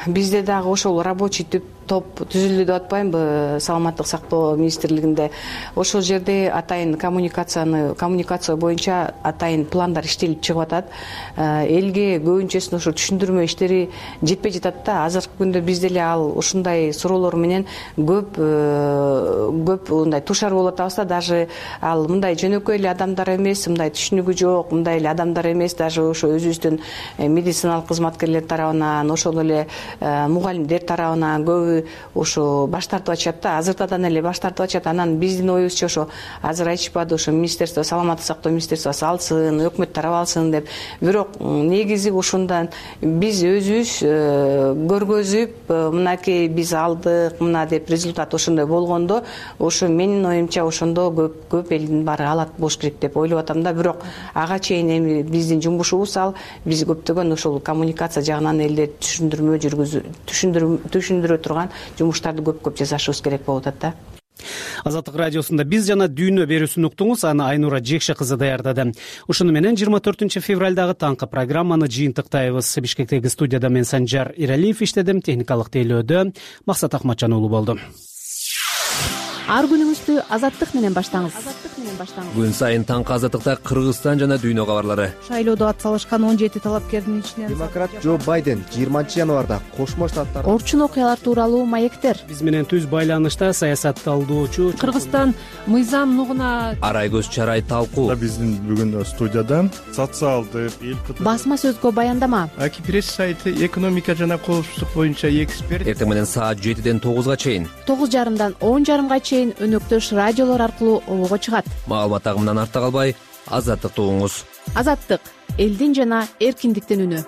бизде дагы ошол рабочий топ түзүлдү деп атпаймынбы саламаттык сактоо министрлигинде. Ошол жерде атайын коммуникацияны коммуникация боюнча атайын пландар иштелип чыгып атат. Элге көбүнчөсүн ошо түшүндүрмө иштери жетпей жатат да. Азыркы күндө биз деле ал ушундай суроолор менен көп көп мындай тушар болуп атабыз да. Даже ал мындай жөнөкөй эле адамдар эмес, мындай түшүнүгү жок мындай эле адамдар эмес, даже ошо өзүбүздүн медициналык кызматкерлер тарабынан, ошол эле мугалимдер тарабынан көбү ошо баш тартып атышат да. Азыртадан эле баш тартып атышат. Анан биздин оюбузча ошо азыр айтышпады, ошо министерство, саламаттык сактоо министерствосу алсын, өкмөт тарабы алсын деп. Бирок негизи ушундан биз өзүбүз көргөзүп, мынакей биз алдык, мына деп результат ошондой болгондо, ошо менин оюмча ошондо көп көп элдин баары алат болуш керек деп ойлоп атам да. Бирок ага чейин эми биздин жумушубуз ал, биз көптөгөн ошол коммуникация жагынан элдер түшүндүрмө жүргүзүп, түшүндүрө турган жумуштарды көп-көп жасашыбыз керек болуп атат да. Азаттык радиосунда биз жана дүйнө берүүсүн уктуңуз, аны Айнура Жекше кызы даярдады. Ушуну менен жыйырма төртүнчү февралдагы таңкы программаны жыйынтыктайбыз. Бишкектеги студияда мен Санжар Иралиев иштедим, техникалык тейлөөдө Максат Акматжан уулу болду. Ар күнүңүздү Азаттык менен баштаңыз. Күн сайын таңкы Азаттыкта Кыргызстан жана дүйнө кабарлары. Шайлоодо ат салышкан он жети талапкердин ичинен демократ Джо Байден жыйырманчы январда Кошмо Штаттар орчун окуялар тууралуу маектер. Биз менен түз байланышта саясатталдоочу Кыргызстан мыйзам нугуна Арайгөз Чарай талкуу. Биздин бүгүн студияда социалдык басма сөзгө баяндама. Аки пресс сайты экономика жана коопсуздук боюнча эксперт. Эртең менен саат жетиден тогузга чейин, тогуз жарымдан он жарымга чейин өнөктөш радиолор аркылуу обого чыгат. Маалымат агымынан артта калбай, Азаттыкты угуңуз. Азаттык — элдин жана эркиндиктин үнү.